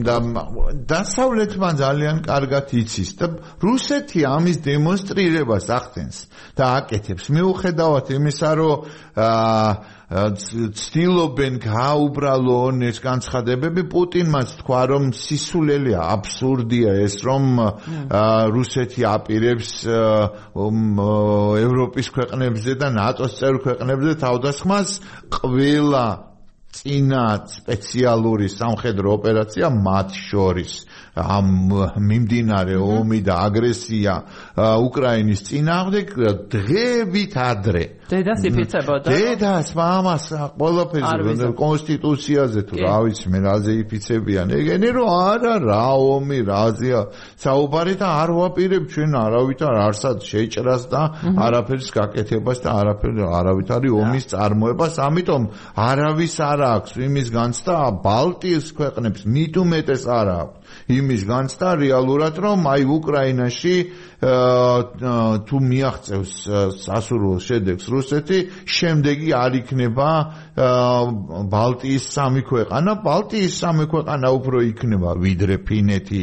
დასავლეთმა ძალიან კარგად იცის და რუსეთი ამის დემონსტრირებას ახდენს და აკეთებს. მიუხედავად იმისა, რომ ცდილობენ გააუბრალონ ეს განცხადებები, პუტინმაც თქვა, რომ სისულელია, აბსურდია ეს, რომ რუსეთი აპირებს ევროპის ქვეყნებზე და ნატოს წევრ ქვეყნებზე თავდასხმას ყველა წინა სპეციალური სამხედრო ოპერაცია მათ შორის ამ მიმდინარე ომი და აგრესია უკრაინის წინააღმდეგ დღევით ადრე დედას იფიცებოდა დედას მამას ყველაფერზე კონსტიტუციაზე თუ რა ვიცი მე რაზე იფიცებიან ეგენი რომ არა რა ომი რაზეა საუბარი და არ ვაპირებ ჩვენ არავითარ არსად შეჭრას და არაფერის გაკეთებას და არავითარი ომის წარმოებას ამიტომ არავის არ აქვს იმის განცდა ბალტიის ქვეყნებს მით უმეტეს არ აქვს იმის განცდა რეალურად რომ აი უკრაინაში თუ მიაღწევს სასურველ შედეგს რუსეთი, შემდეგი არ იქნება ბალტიის სამი ქვეყანა, ბალტიის სამი ქვეყანა უფრო იქნება ვიდრე ფინეთი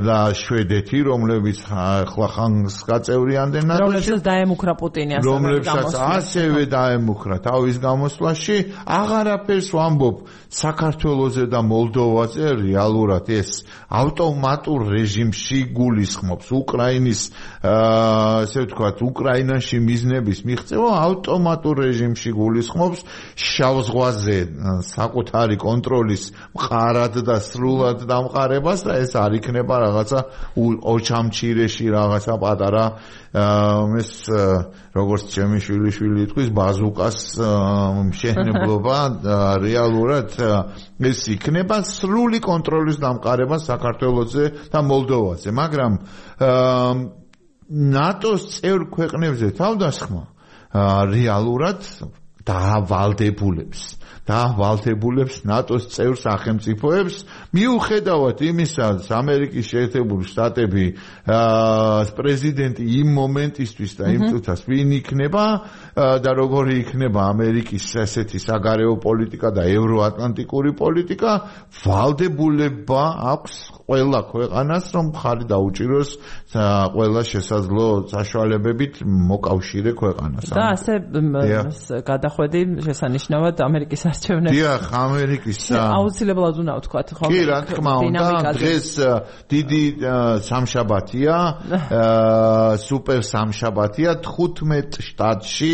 და შვედეთი, რომლებიც ახლა ხანს გაწევრიანდნენ ნატოში, რომლებსაც დაემუქრა პუტინი რომლებსაც ასევე დაემუქრა თავის გამოსვლაში, აღარაფერს ვამბობ საქართველოზე და მოლდოვაზე რეალურად ეს ავტომატურ რეჟიმში გულისხმობს უკრაინის ასე ვთქვათ, უკრაინაში მიზნების მიღწევა ავტომატურ რეჟიმში გულისხმობს შავ ზღვაზე საკუთარი კონტროლის მყარად და სრულად დამყარებას და ეს არ იქნება რაღაცა ოჩამჩირეში რაღაცა პატარა ეს როგორც ჩემი შვილიშვილი იტყვის ბაზუკას მშენებლობა რეალურად ეს იქნება სრული კონტროლის დამყარება საქართველოზე და მოლდოვაზე, მაგრამ ნატოს წევრ ქვეყნებზე თავდასხმა რეალურად დაავალდებულებს ნატოს წევრ სახელმწიფოებს მიუხედავად იმისა, ამერიკის შეერთებული შტატები პრეზიდენტი იმ მომენტისთვის და იმ წუთას ვინ იქნება და როგორი იქნება ამერიკის ესეთი საგარეო პოლიტიკა და ევროატლანტიკური პოლიტიკა, ვალდებულება აქვს ყველა ქვეყანას, რომ ხარი დაუჭიროს ყველა შესაძლო საშუალებებით მოკავშირე ქვეყანას. და ასე გადახვედი შესანიშნავად ამერიკის არჩევნებში. დიახ, ამერიკის აუცილებლად უნდა ვთქვათ, ხო? კი, რა თქმა უნდა, დღეს დიდი სამშაბათია, სუპერ სამშაბათია 15 შტატში,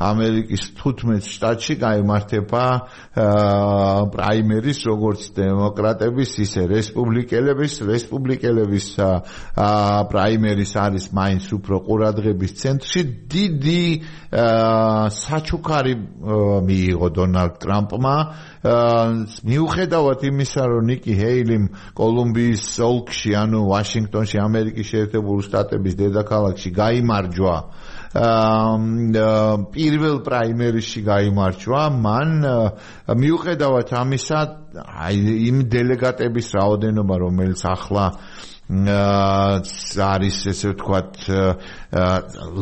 ამერიკის 15 შტატში გაიმართება პრაიმერის, როგორც დემოკრატების, ისე რესპუბლიკელების პრაიმერის არის მაინც უფრო ყურადღების ცენტრში. დიდი საჩუქარი მიიღო დონალდ ტრამპმა მიუხედავად იმისა, რომ ნიკი ჰეილიმ კოლუმბიის ოლქში, ანუ ვაშინგტონში, ამერიკის შეერთებული შტატების დედაქალაქში გაიმარჯვა პირველ პრაიმერისში გაიმარჯვა, მან მიუხედავად ამისა, იმ დელეგატების რაოდენობა, რომელიც ახლა არის ესე ვთქვათ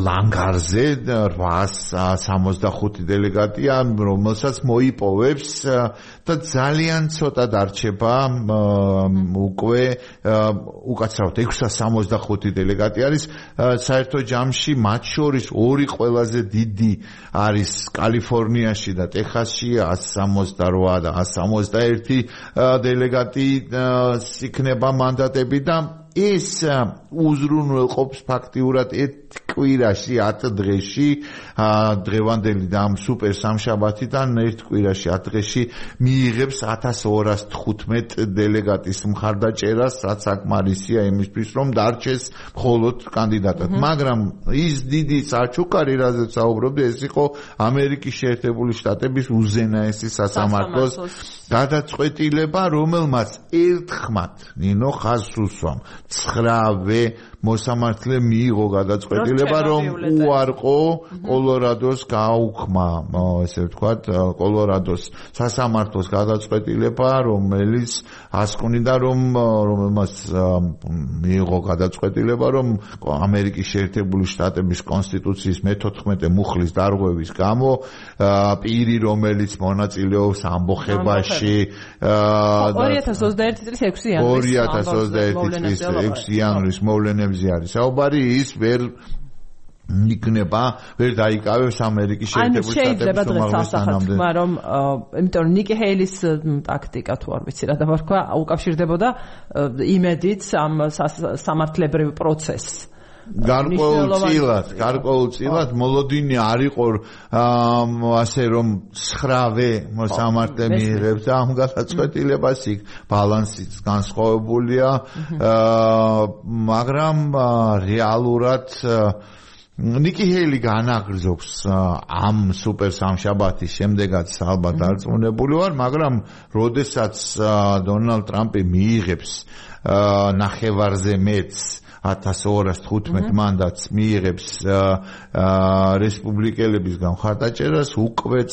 ლანგარზე 865 დელეგატია, რომელსაც მოიპოვებს და ძალიან ცოტა დარჩება უკვე უკაცრავად 665 დელეგატი არის საერთო ჯამში, მათ შორის ორი ყველაზე დიდი არის კალიფორნიაში და ტეხასში 168 და 161 დელეგატი იქნება მანდატები და ეს უზრუნველყოფს ფაქტიურად კვირაში 10 დღეში დღევანდელი და ამ სუპერ სამშაბათიდან ერთ კვირაში 10 დღეში მიიღებს 1215 დელეგატის მხარდაჭერას, რაც საკმარისია იმისთვის, რომ დარჩეს მხოლოდ კანდიდატად. მაგრამ ის დიდი საჩუქარი, რაზეც საუბრობდი, ეს იყო ამერიკის შეერთებული შტატების უზენაესი სასამართლოს გადაწყვეტილება, რომელმაც ერთხმად ნინო ხაზს უსვამ 9-ვე მოსამართლე მიიღო გადაწყვეტილება, რომ უარყო კოლორადოს გაუქმა, ესე ვთქვათ, კოლორადოს სასამართლოს გადაწყვეტილება, რომელიც ასკვნიდა, რომელმაც მიიღო გადაწყვეტილება, რომ ამერიკის შეერთებული შტატების კონსტიტუციის მე-14 მუხლის დარღვევის გამო პირი, რომელიც მონაწილეობს ამბოხებაში 2021 წლის 6 იანვრის მოვლენებზე არის საუბარი, ის ვერ დაიკავებს ამერიკის შეერთებული შტატების უმაღლეს თანამდებობას, რომ იმიტომ რომ ნიკი ჰეილის ტაქტიკა თუ არ ვიცი რა დავარქვა, უკავშირდებოდა იმედით ამ სამართლებრივ პროცესს. გარკვეულწილად მოლოდინი არ იყო ასე რომ 9-ვე მოსამართლე მიიღებს და ამ გადაწყვეტილებას იქ ბალანსიც განსხვავებულია, მაგრამ რეალურად ნიკი ჰეილი განაგრძობს ამ სუპერ სამშაბათის შემდეგაც ალბათ დარწმუნებული ვარ, მაგრამ როდესაც დონალდ ტრამპი მიიღებს ნახევარზე მეტს 1215 მანდატს მიიღებს რესპუბლიკელებისგან მხარდაჭერას უკვე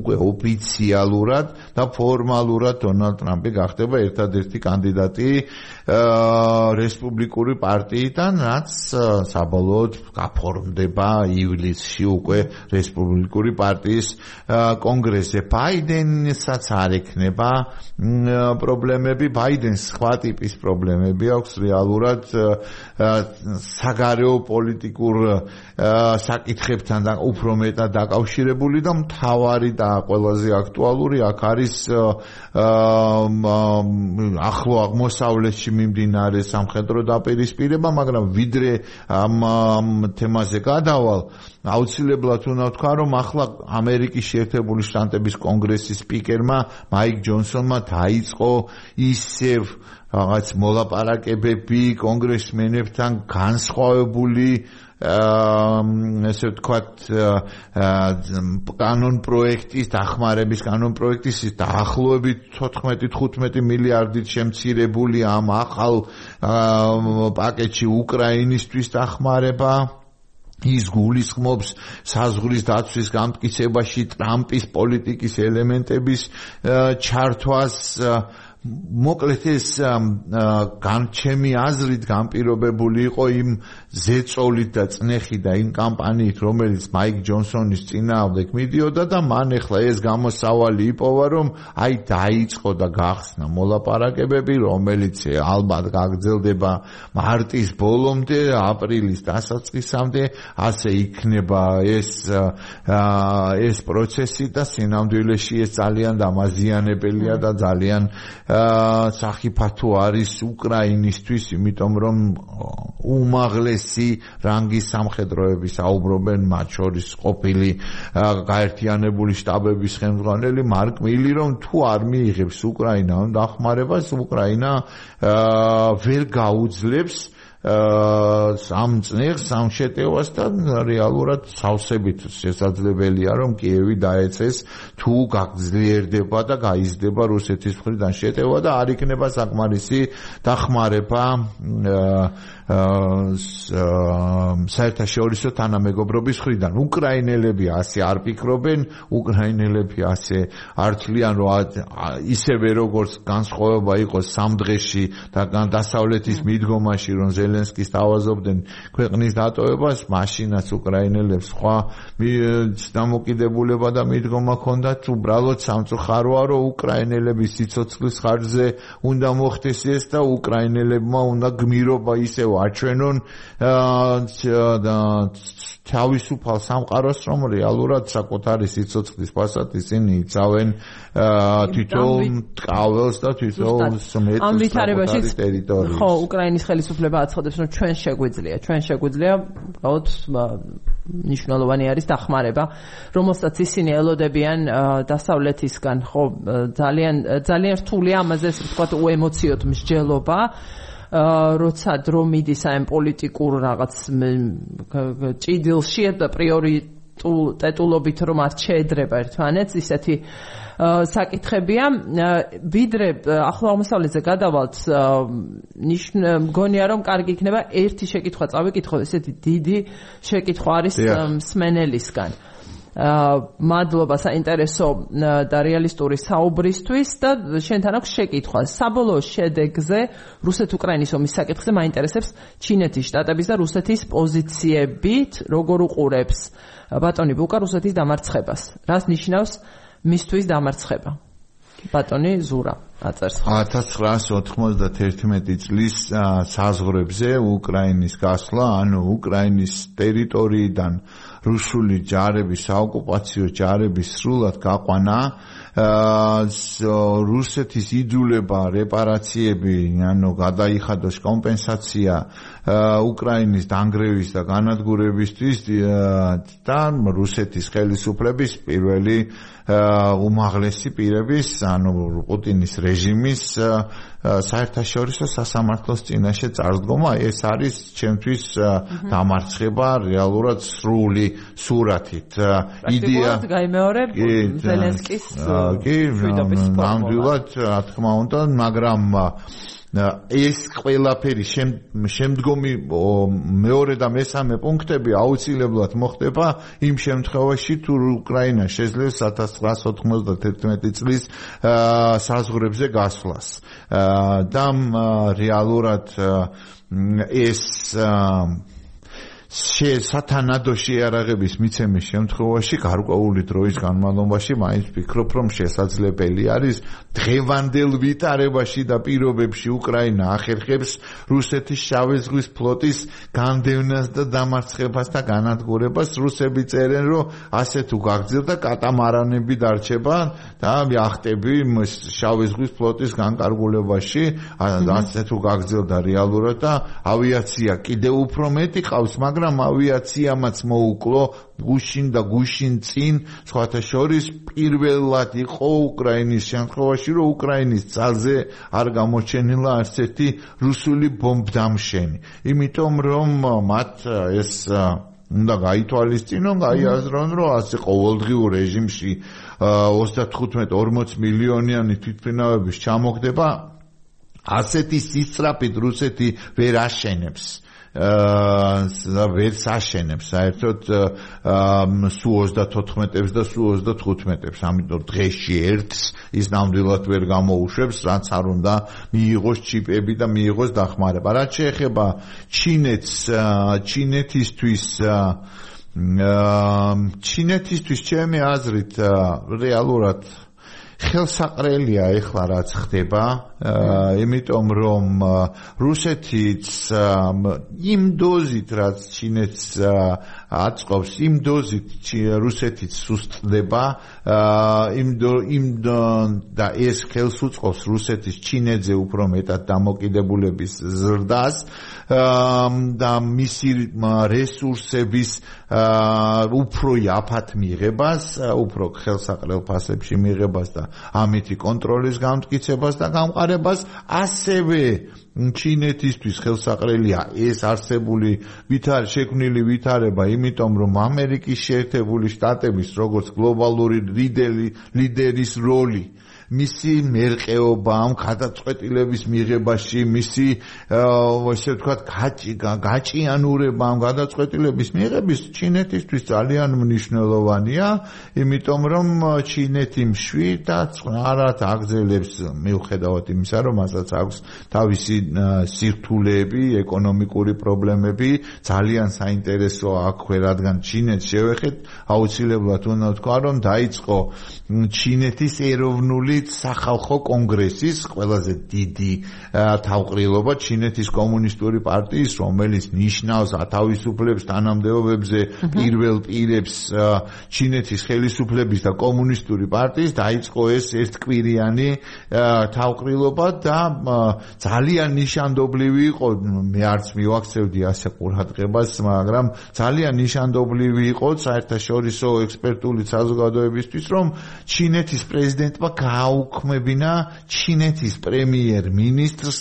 უკვე ოფიციალურად და ფორმალურად დონალდ ტრამპი გახდება ერთადერთი კანდიდატი რესპუბლიკური პარტიიდან, რაც საბოლოოდ გაფორმდება ივლისში უკვე რესპუბლიკური პარტიის კონგრესზე. ბაიდენსაც არ ექნება პრობლემები, ბაიდენს სხვა ტიპის პრობლემები აქვს რეალურად საგარეო პოლიტიკურ საკითხებთან და უფრო მეტად დაკავშირებული და მთავარი და ყველაზე აქტუალური აქ არის ახლო აღმოსავლეთში მიმდინარე სამხედრო დაპირისპირება, მაგრამ ვიდრე ამ თემაზე გადავალ, აუცილებლად უნდა ვთქვა, რომ ახლა ამერიკის შეერთებული შტატების კონგრესის სპიკერმა მაიკ ჯონსონმა დაიწყო ისევ რაღაც მოლაპარაკებები კონგრესმენებთან განსხვავებული ესე ვთქვათ კანონ პროექტის დახმარების კანონ პროექტის დაახლოებით 14-15 მილიარდით შემცირებული ამ ახალ პაკეტში უკრაინისთვის დახმარება ის გულისხმობს საზღვრის დაცვის გამტკიცებაში ტრამპის პოლიტიკის ელემენტების ჩართვას მოკლედ ეს ჩემი აზრით განპირობებული იყო იმ ზეწოლით და წნეხით და იმ კამპანიით, რომელიც მაიკ ჯონსონის წინააღმდეგ მიდიოდა და მან ახლა ეს გამოსავალი იპოვა, რომ აი დაიწყო და გახსნა მოლაპარაკებები, რომელიც ალბათ გაგრძელდება მარტის ბოლომდე, აპრილის დასაწყისამდე, ასე იქნება ეს პროცესი და სინამდვილეში ეს ძალიან დამაზიანებელია და ძალიან სახიფათო არის უკრაინისთვის, იმიტომ რომ უმაღლესი რანგის სამხედროები საუბრობენ, მათ შორის ყოფილი გაერთიანებული შტაბების ხელმძღვანელი მარკ მილი, რომ თუ არ მიიღებს უკრაინა დახმარებას, უკრაინა ვერ გაუძლებს ამ წნეხს, ამ შეტევას და რეალურად სავსებით შესაძლებელია, რომ კიევი დაეცეს თუ გაგძლიერდება და გაიზრდება რუსეთის მხრიდან შეტევა და არ იქნება საკმარისი დახმარება საერთაშორისო თანამეგობრობის მხრიდან. უკრაინელები ასე არ ფიქრობენ, უკრაინელები ასე არ თვლიან, რომ ისევე როგორც განსხვავება იყოს სამ დღეში და დასავლეთის მიდგომაში, რომ ზელენსკის თავაზობდნენ ქვეყნის დატოვებას, მაშინაც უკრაინელებს სხვა დამოკიდებულება და მიდგომა ჰქონდათ. უბრალოდ სამწუხაროა, რომ უკრაინელების სიცოცხლის ხარჯზე უნდა მოხდეს ეს და უკრაინელებმა უნდა გმირობა ისევ აჩვენონ თავისუფალ სამყაროს, რომ რეალურად საკუთარი სიცოცხლის ფასად ისინი იცავენ თვითონ ტყაველს და თვითონ მეტ ტერიტორიას. ხო, უკრაინის ხელისუფლება აცხადებს, რომ ჩვენ შეგვიძლია უბრალოდ ნიშნულოვანი არის დახმარება, რომელსაც ისინი ელოდებიან დასავლეთისგან. ხო, ძალიან რთულია ამაზე ვთქვათ უემოციოდ მსჯელობა, როცა დრო მიდის ამ პოლიტიკურ რაღაც ჭიდილში და პრიორიტეტულობით რომ არ შეედრება ერთმანეთს, ისეთი საკითხებია. ვიდრე ახლო აღმოსავლეთზე გადავალთ, მგონია რომ კარგი იქნება ერთი შეკითხვა წავიკითხო, ესეთი დიდი შეკითხვა არის მსმენელისგან. მადლობა საინტერესო და რეალისტური საუბრისთვის და შენთან აქვს შეკითხვა. საბოლოო შედეგზე რუსეთ-უკრაინის ომის საკითხზე მაინტერესებს ჩინეთის შტატების და რუსეთის პოზიციებით როგორ უყურებს ბატონი ბუკა რუსეთის დამარცხებას. რას ნიშნავს მისთვის დამარცხება? ბატონი ზურა აწერს. 1991 წლის საზღვრებზე უკრაინის გასვლა, ანუ უკრაინის ტერიტორიიდან რუსული ჯარების, საოკუპაციო ჯარების სრულად გაყვანა, რუსეთის იძულება რეპარაციები, ანუ გადაიხადოს კომპენსაცია უკრაინის დანგრევის და განადგურებისთვის და რუსეთის ხელისუფლების პირველი უმაღლესი პირების, ანუ პუტინის რეჟიმის საერთაშორისო სასამართლოს წინაშე წარსდგომა. ეს არის ჩემთვის დამარცხება რეალურად სრული სურათით. იდეა გაიმეორებ ზელენსკის ნამდვილად, რა თქმა უნდა, მაგრამ ეს ყველაფერი შემდგომი მეორე და მესამე პუნქტები აუცილებლად მოხდება იმ შემთხვევაში თუ უკრაინა შეძლებს 1991 წლის საზღვრებზე გასვლას და რეალურად ეს სათანადო შეარაღების მიცემის შემთხვევაში გარკვეული დროის განმავლობაში მაინც ვფიქრობ, რომ შესაძლებელი არის დღევანდელ ვითარებაში და პირობებში უკრაინა ახერხებს რუსეთის შავი ზღვის ფლოტის განდევნას და დამარცხებას და განადგურებას. რუსები წერენ, რომ ასე თუ გაგრძელდა კატამარანები დარჩება და იახტები შავი ზღვის ფლოტის განკარგულებაში, ასე თუ გაგრძელდა რეალურად და ავიაცია კიდევ უფრო მეტი ყავს, მაგრამ ავიაციამაც მოუკლო გუშინ და გუშინ წინ სხვათა შორის პირველად იყო უკრაინის შემთხვევაში, რომ უკრაინის ძალზე არ გამოჩენილა არც ერთი რუსული ბომბდამშენი. იმიტომ რომ მათ ეს უნდა გაითვალისწინონ, გაიაზრონ, რომ ასე ყოველდღიურ რეჟიმში 35-40 მილიონიანი თვითმფრინავების ჩამოგდება ასეთი სისწრაფით რუსეთი ვერ აშენებს. ვერ საშენებს საერთოდ სუ 34-ებს და სუ 35-ებს, ამიტომ დღეში ერთს ის ნამდვილად ვერ გამოუშვებს, რაც არ უნდა მიიღოს ჩიპები და მიიღოს დახმარება. რაც შეეხება ჩინეთისთვის ჩემი აზრით რეალურად ხელსაყრელია ეხლა რაც ხდება, იმიტომ რომ რუსეთიც იმ დოზით რაც ჩინეთს აწყობს, იმ დოზით რუსეთიც სუსტდება, და ეს ხელს უწყობს რუსეთის ჩინეთზე უფრო მეტად დამოკიდებულების ზრდას და მისი რესურსების უფრო იაფად მიღებას, უფრო ხელსაყრელ ფასებში მიღებას და ამითი კონტროლის გამტკიცებას და გამყარებას. ასევე ჩინეთისთვის ხელსაყრელია ეს არსებული შექმნილი ვითარება, იმიტომ რომ ამერიკის შეერთებული შტატების როგორც გლობალური ლიდერის როლი, მისი მერყეობა ამ გადაწყვეტილების მიღებაში, მისი ესე ვთქვათ გაჭიანურება ამ გადაწყვეტილების მიღების ჩინეთისთვის ძალიან მნიშვნელოვანია, იმიტომ რომ ჩინეთი მშვიდად არად აგრძელებს, მიუხედავად იმისა, რომ მასაც აქვს თავისი სირთულეები, ეკონომიკური პრობლემები, ძალიან საინტერესოა აქვე, რადგან ჩინეთს შევეხეთ, აუცილებლად უნდა ვთქვა, რომ დაიწყო ჩინეთის ეროვნული სახალხო კონგრესის ყველაზე დიდი თავყრილობა ჩინეთის კომუნისტური პარტიის, რომელიც ნიშნავს ათავისუფლებს თანამდებობებზე პირველ პირებს ჩინეთის ხელისუფლების და კომუნისტური პარტიის, დაიწყო ეს ერთკვირიანი თავყრილობა და ძალიან ნიშანდობლივი იყო, მე არც მივაქცევდი ასე ყურადღებას, მაგრამ ძალიან ნიშანდობლივი იყო საერთაშორისო ექსპერტული საზოგადოებისთვის, რომ ჩინეთის პრეზიდენტმა გააუქმებინა ჩინეთის პრემიერ-მინისტრს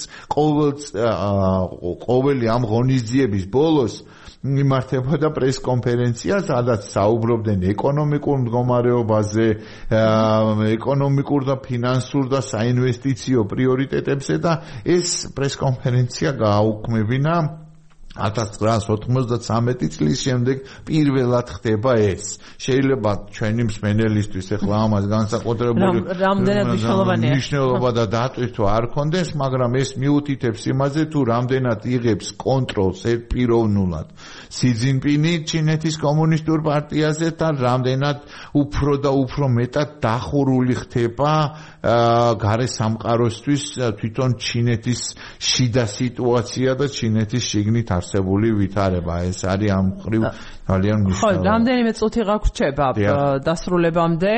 ყოველი ამ ღონისძიების ბოლოს მიმართებოდა პრესკონფერენცია, სადაც საუბრობდნენ ეკონომიკურ მდგომარეობაზე, ეკონომიკურ და ფინანსურ და საინვესტიციო პრიორიტეტებზე და ეს პრესკონფერენცია გააუქმებინა 1993 წლის შემდეგ პირველად ხდება ეს. შეიძლება ჩვენი მსმენელისთვის ახლა ამას განსაკუთრებული მნიშვნელობა და დატვირთვა არ ქონდეს, მაგრამ ეს მიუთითებს იმაზე, თუ რამდენად იღებს კონტროლს პიროვნულად სი ძინპინი ჩინეთის კომუნისტურ პარტიაზე და რამდენად უფრო და უფრო მეტად დახურული ხდება გარესამყაროსთვის თვითონ ჩინეთის შიდა სიტუაცია და ჩინეთის შიგნით არსებული ვითარება. ეს არის ამ მხრივ ძალიან მნიშვნელოვანი. ხო, რამდენიმე წუთი გაგვრჩება დასრულებამდე.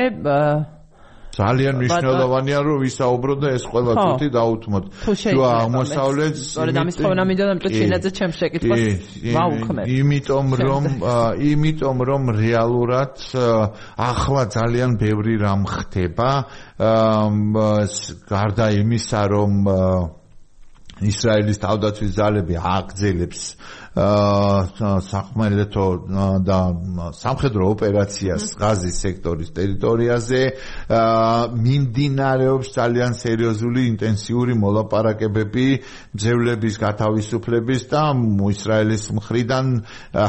ძალიან მნიშვნელოვანია რომ ვისაუბრო და ეს ყველა წუთი დაუთმოთ. თუ აღმოსავლეთს სწორედ ამის თხოვნა მინდა და ჩინეთზე ჩემს შეკითხვას ვაუქმებ. იმიტომ რომ რეალურად ახლა ძალიან ბევრი რამ ხდება, გარდა იმისა რომ ისრაელის თავდაცვის ძალები აგრძელებს სახმელეთო და სამხედრო ოპერაციას ღაზის სექტორის ტერიტორიაზე მიმდინარეობს ძალიან სერიოზული ინტენსიური მოლაპარაკებები მძევლების გათავისუფლების და ისრაელის მხრიდან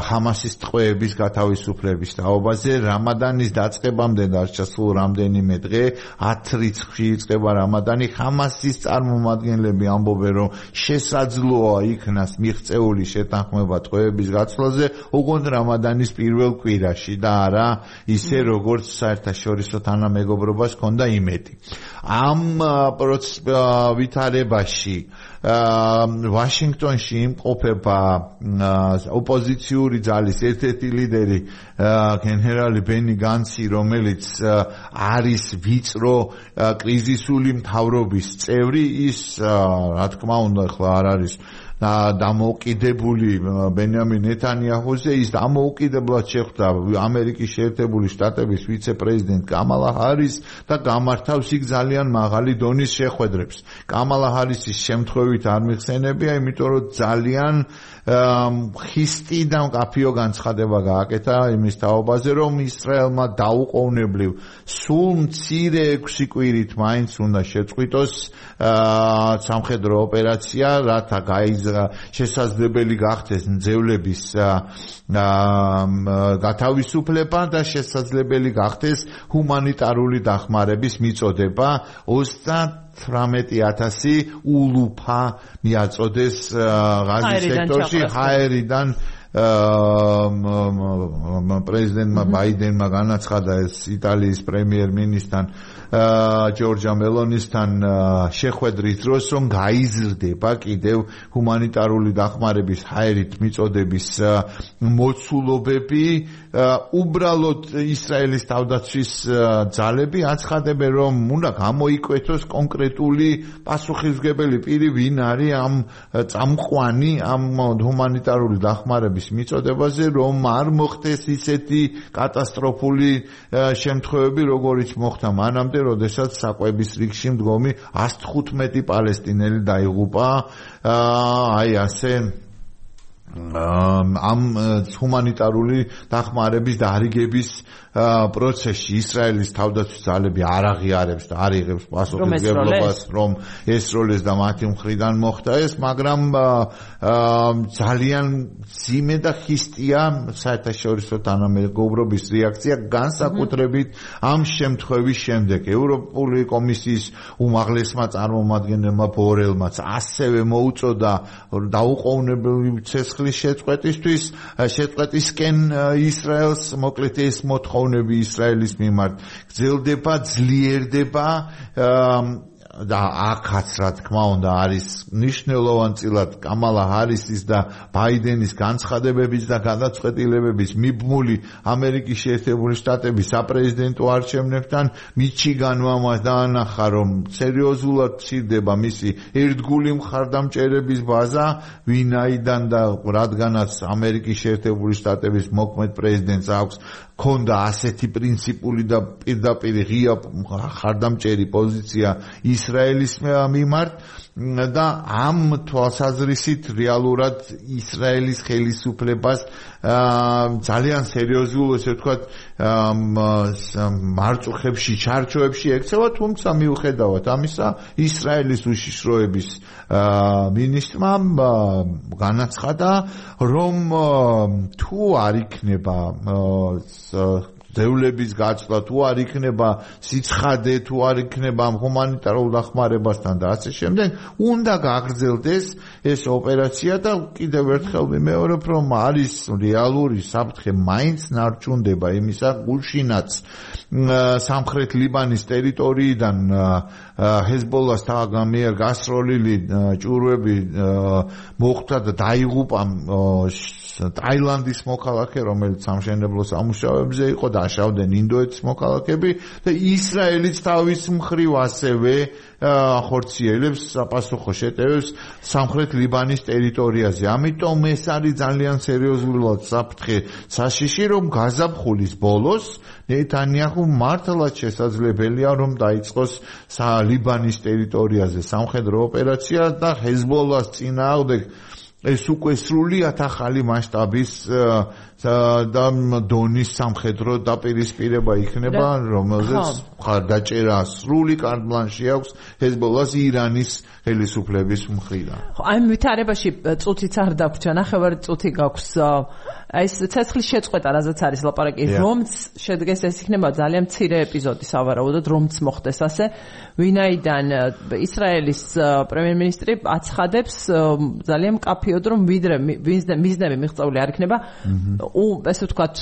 ჰამასის ტყვეების გათავისუფლების თაობაზე რამადანის დაწყებამდე დარჩა სულ რამდენიმე დღე 10 რიცხვში იწყება რამადანი ჰამასის წარმომადგენლები ამბობენ რომ შესაძლოა იქნას მიღწეული შეთანხმება ტყვეების გაცვლაზე უგონოდ რამადანის პირველ კვირაში და არა ისე როგორც საერთაშორისო თანამეგობრობას ჰქონდა იმედი ამ ვითარებაში ვაშინგტონში იმყოფება ოპოზიციური ძალის ერთ-ერთი ლიდერი გენერალი ბენი განცი რომელიც არის ვიწრო კრიზისული მთავრობის წევრი ის რა თქმა უნდა ახლა არ არის დამოუკიდებელი ბენიამინ ნეთანიაჰუზე ის დამოუკიდებლად შეხვდა ამერიკის შეერთებული შტატების ვიცე-პრეზიდენტ კამალა ჰარის და გამართავს იქ ძალიან მაღალი დონის შეხვედრებს. კამალა ჰარისის შემთხვევით არ მიხსენებია, იმიტომ რომ ძალიან ხისტი და მკაფიო განცხადება გააკეთა იმის თაობაზე, რომ ისრაელმა დაუყოვნებლივ სულ მცირე 6 კვირით მაინც უნდა შეწყვიტოს სამხედრო ოპერაცია, რათა შესაძლებელი გახდეს მძევლების გათავისუფლება და შესაძლებელი გახდეს ჰუმანიტარული დახმარების მიწოდება 38,000 ულუფა მიაწოდეს ღაზის სექტორში ჰაერიდან პრეზიდენტმა ბაიდენმა განაცხადა ეს იტალიის პრემიერ-მინისტრთან ჯორჯა მელონისთან შეხვედრის დროს რომ გაიზრდება კიდევ ჰუმანიტარული დახმარების ჰაერით მიწოდების მოცულობები უბრალოდ ისრაელის თავდაცვის ძალები აცხადებენ რომ უნდა გამოიკვეთოს კონკრეტული პასუხისმგებელი პირი ვინ არის ამ წამყვანი ამ ჰუმანიტარული დახმარების მიწოდებაზე რომ არ მოხდეს ისეთი კატასტროფული შემთხვევები როგორიც მოხდა მანამდე როდესაც საკვების რიგში მდგომი 115 პალესტინელი დაიღუპა აი ასე ამ ჰუმანიტარული დახმარების დარიგების პროცესში ისრაელის თავდაცვის ძალები არ აღიარებს და არ იღებს პასუხისმგებლობას რომ ესროლეს და მათი მხრიდან მოხდა ეს მაგრამ ძალიან ძიმე და ხისტია საერთაშორისო თანამეგობრობის რეაქცია განსაკუთრებით ამ შემთხვევის შემდეგ ევროპული კომისიის უმაღლესმა წარმომადგენელმა ბორელმაც ასევე მოუწოდა დაუყოვნებლივ ცეცხლის შეწყვეტისკენ ისრაელს მოკლედ ეს მოთხოვნები ისრაელის მიმართ გრძელდება ძლიერდება და აქაც რა თქმა უნდა არის ნიშნულოვანწილად კამალა ჰარისის და ბაიდენის განცხადებების და გადაწყვეტილებების მიბმული ამერიკის შეერთებული შტატების საპრეზიდენტო არჩევნებთან მიჩიგანმა დაანახა რომ სერიოზულად მცირდება მისი ერთგული მხარდამჭერების ბაზა ვინაიდან და რადგანაც ამერიკის შეერთებული შტატების მოქმედ პრეზიდენტს აქვს ქონდა ასეთი პრინციპული და პირდაპირ ღია მხარდამჭერი პოზიცია ისრაელის მიმართ და ამ თვალსაზრისით რეალურად ისრაელის ხელისუფლებას ძალიან სერიოზულ ესე ვთქვათ მარწუხებში ჩარჩოებში ექცევა თუმცა მიუხედავად ამისა ისრაელის უშიშროების მინისტრმა განაცხადა რომ თუ არ იქნება ძევლების გაცვლა თუ არ იქნება სიცხადე თუ არ იქნება ჰუმანიტარულ დახმარებასთან და ასე შემდეგ უნდა გაგრძელდეს ეს ოპერაცია და კიდევ ერთხელ ვიმეორებ რომ არის რეალური საფრთხე მაინც ნარჩუნდება იმისა გულშინაც სამხრეთ ლიბანის ტერიტორიიდან ჰეზბოლას მიერ გასროლილი ჭურვები მოხვდა და დაიღუპა ტაილანდის მოქალაქე რომელიც სამშენებლო სამუშაოებზე იყო და აშავდნენ ინდოეთის მოქალაქები და ისრაელიც თავის მხრივ ასევე ახორციელებს საპასუხო შეტევებს სამხრეთ ლიბანის ტერიტორიაზე. ამიტომ ეს არის ძალიან სერიოზულად საფრთხე საშიში რომ გაზაფხულის ბოლოს ნეთანიაჰუ მართლაც შესაძლებელია რომ დაიწყოს ლიბანის ტერიტორიაზე სამხედრო ოპერაცია და ჰეზბოლას წინააღმდეგ ეს უკვე სრულიად ახალი მასშტაბის და დონის სამხედრო დაპირისპირება იქნება, რომელზეც მხარდაჭერა სრული კარტ-ბლანში აქვს ჰეზბოლას ირანის ხელისუფლების მხრიდან. აი ვითარებაში წუთიც არ დაგვრჩა, ნახევარი წუთი გაქვს. აი ეს ცეცხლის შეწყვეტა, რაზეც არის ლაპარაკი, რომც შედგეს, ეს იქნება ძალიან მცირე ეპიზოდი სავარაუდოდ, რომც მოხდეს ასე, ვინაიდან ისრაელის პრემიერ-მინისტრი აცხადებს ძალიან მკაფიოდ, რომ ვიდრე მიზნები მიღწეული არ იქნება, ესე ვთქვათ,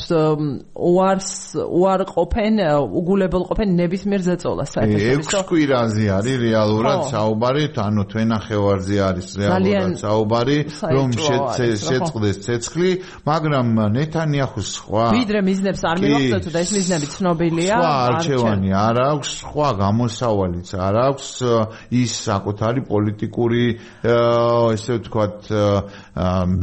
უარყოფენ, უგულებელ ყოფენ ნებისმიერ ზეწოლას. 6 კვირაზე არის რეალურად საუბარი, ანუ თვენახევარზე არის რეალურად საუბარი, რომ შეწყდეს ცეცხლი, მაგრამ ნეთანიაჰუს სხვა ვიდრე მიზნებს არ მივახცევთ და ეს მიზნები ცნობილია, სხვა არჩევანი არ აქვს, სხვა გამოსავალიც არ აქვს, ის საკუთარი პოლიტიკური, ესე ვთქვათ,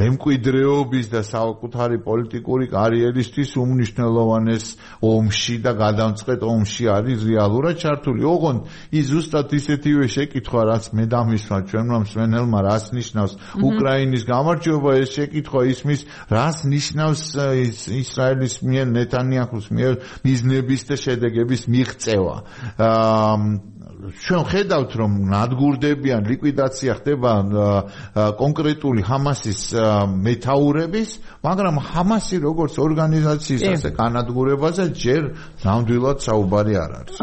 მემკვიდრეობის და საკუთარი პოლიტიკური კარიერისთვის უმნიშვნელოვანეს ომში და გადამწყვეტ ომში არის რეალურად ჩართული. ოღონდ ის ზუსტად ისეთივე შეკითხვა, რაც მე დამისვა ჩვენმა მსმენელმა, რას ნიშნავს უკრაინის გამარჯვება, ეს შეკითხვა ისმის, რას ნიშნავს ისრაელის მიერ ნეთანიაჰუს მიერ მიზნების და შედეგების მიღწევა. ჩვენ ხედავთ, რომ ნადგურდებიან, ლიკვიდაცია ხდება კონკრეტული ჰამასის მეთაურების, მაგრამ ჰამასი როგორც ორგანიზაციის ასე განადგურებაზე ჯერ ნამდვილად საუბარი არ არის.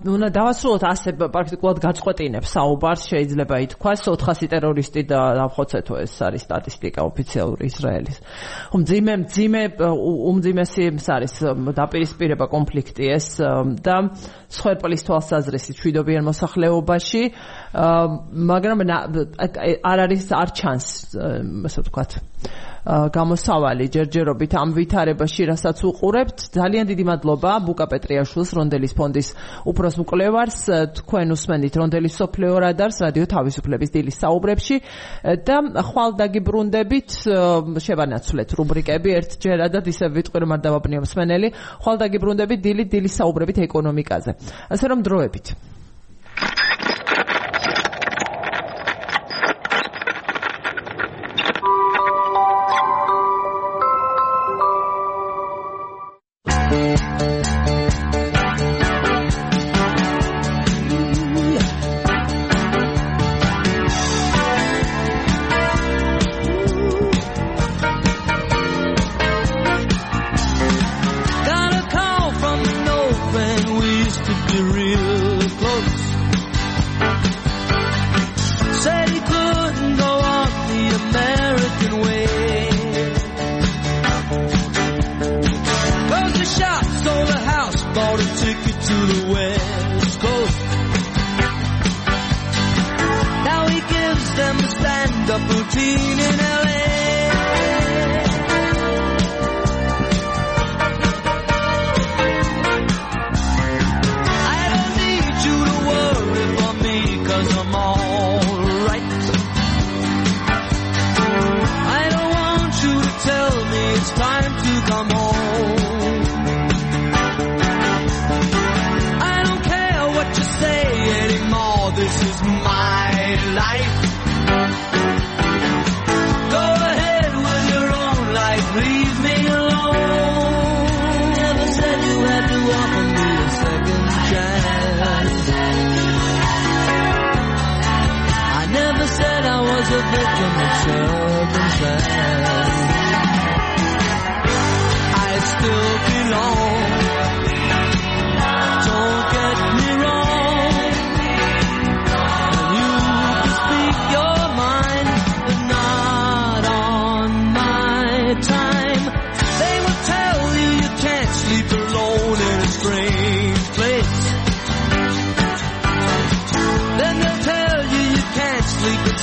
უნდა დავასრულოთ ასე პრაქტიკულად გაწყვეტინებს საუბარს, შეიძლება ითქვას 400 ტერორისტი და დავხოცეთო, ეს არის სტატისტიკა ოფიციალური ისრაელის. უმძიმესი არის დაპირისპირება კონფლიქტი ეს და სხერპლის თვალსაზრისით მშვიდობიან მოსახლეობაში, მაგრამ არ ჩანს, ასე ვთქვათ, გამოსავალი ჯერჯერობით ამ ვითარებაში, რასაც უყურებთ. ძალიან დიდი მადლობა ბუკა პეტრიაშვილს, რონდელის ფონდის უფროს მკვლევარს. თქვენ უსმენთ რონდელის სოფლიო რადარს რადიო თავისუფლების დილის საუბრებში და ხვალ დაგიბრუნდებით, შევანაცვლეთ რუბრიკები ერთჯერადად, ისე ვიტყვი რომ არ დავაბნიო მსმენელი. ხვალ დაგიბრუნდებით დილის საუბრებით ეკონომიკაზე. ასე რომ დროებით.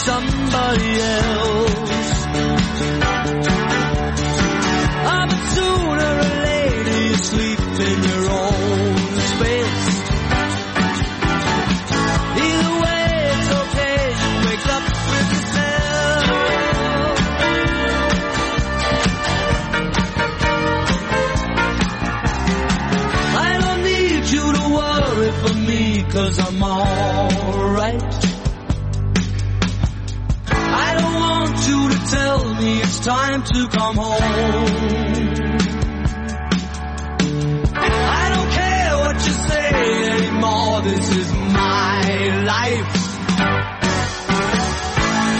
Somebody else. But sooner or later you sleep in your own space. Either way it's okay, you wake up with yourself. I don't need you to worry for me, 'cause I'm alright. You to tell time to come home. I don't care what you say anymore, this is my life.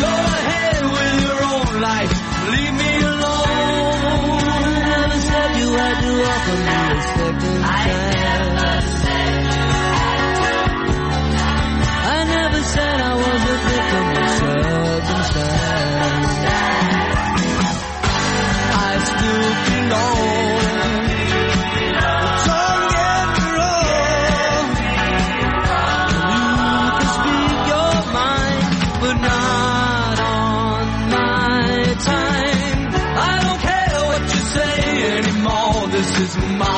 Go ahead with your own life, leave me alone. I never said you had to offer me a second chance. I never said I was a victim of circumstance. I still belong. Don't get me wrong. You can speak your mind, but not on my time. I don't care what you say anymore, this is my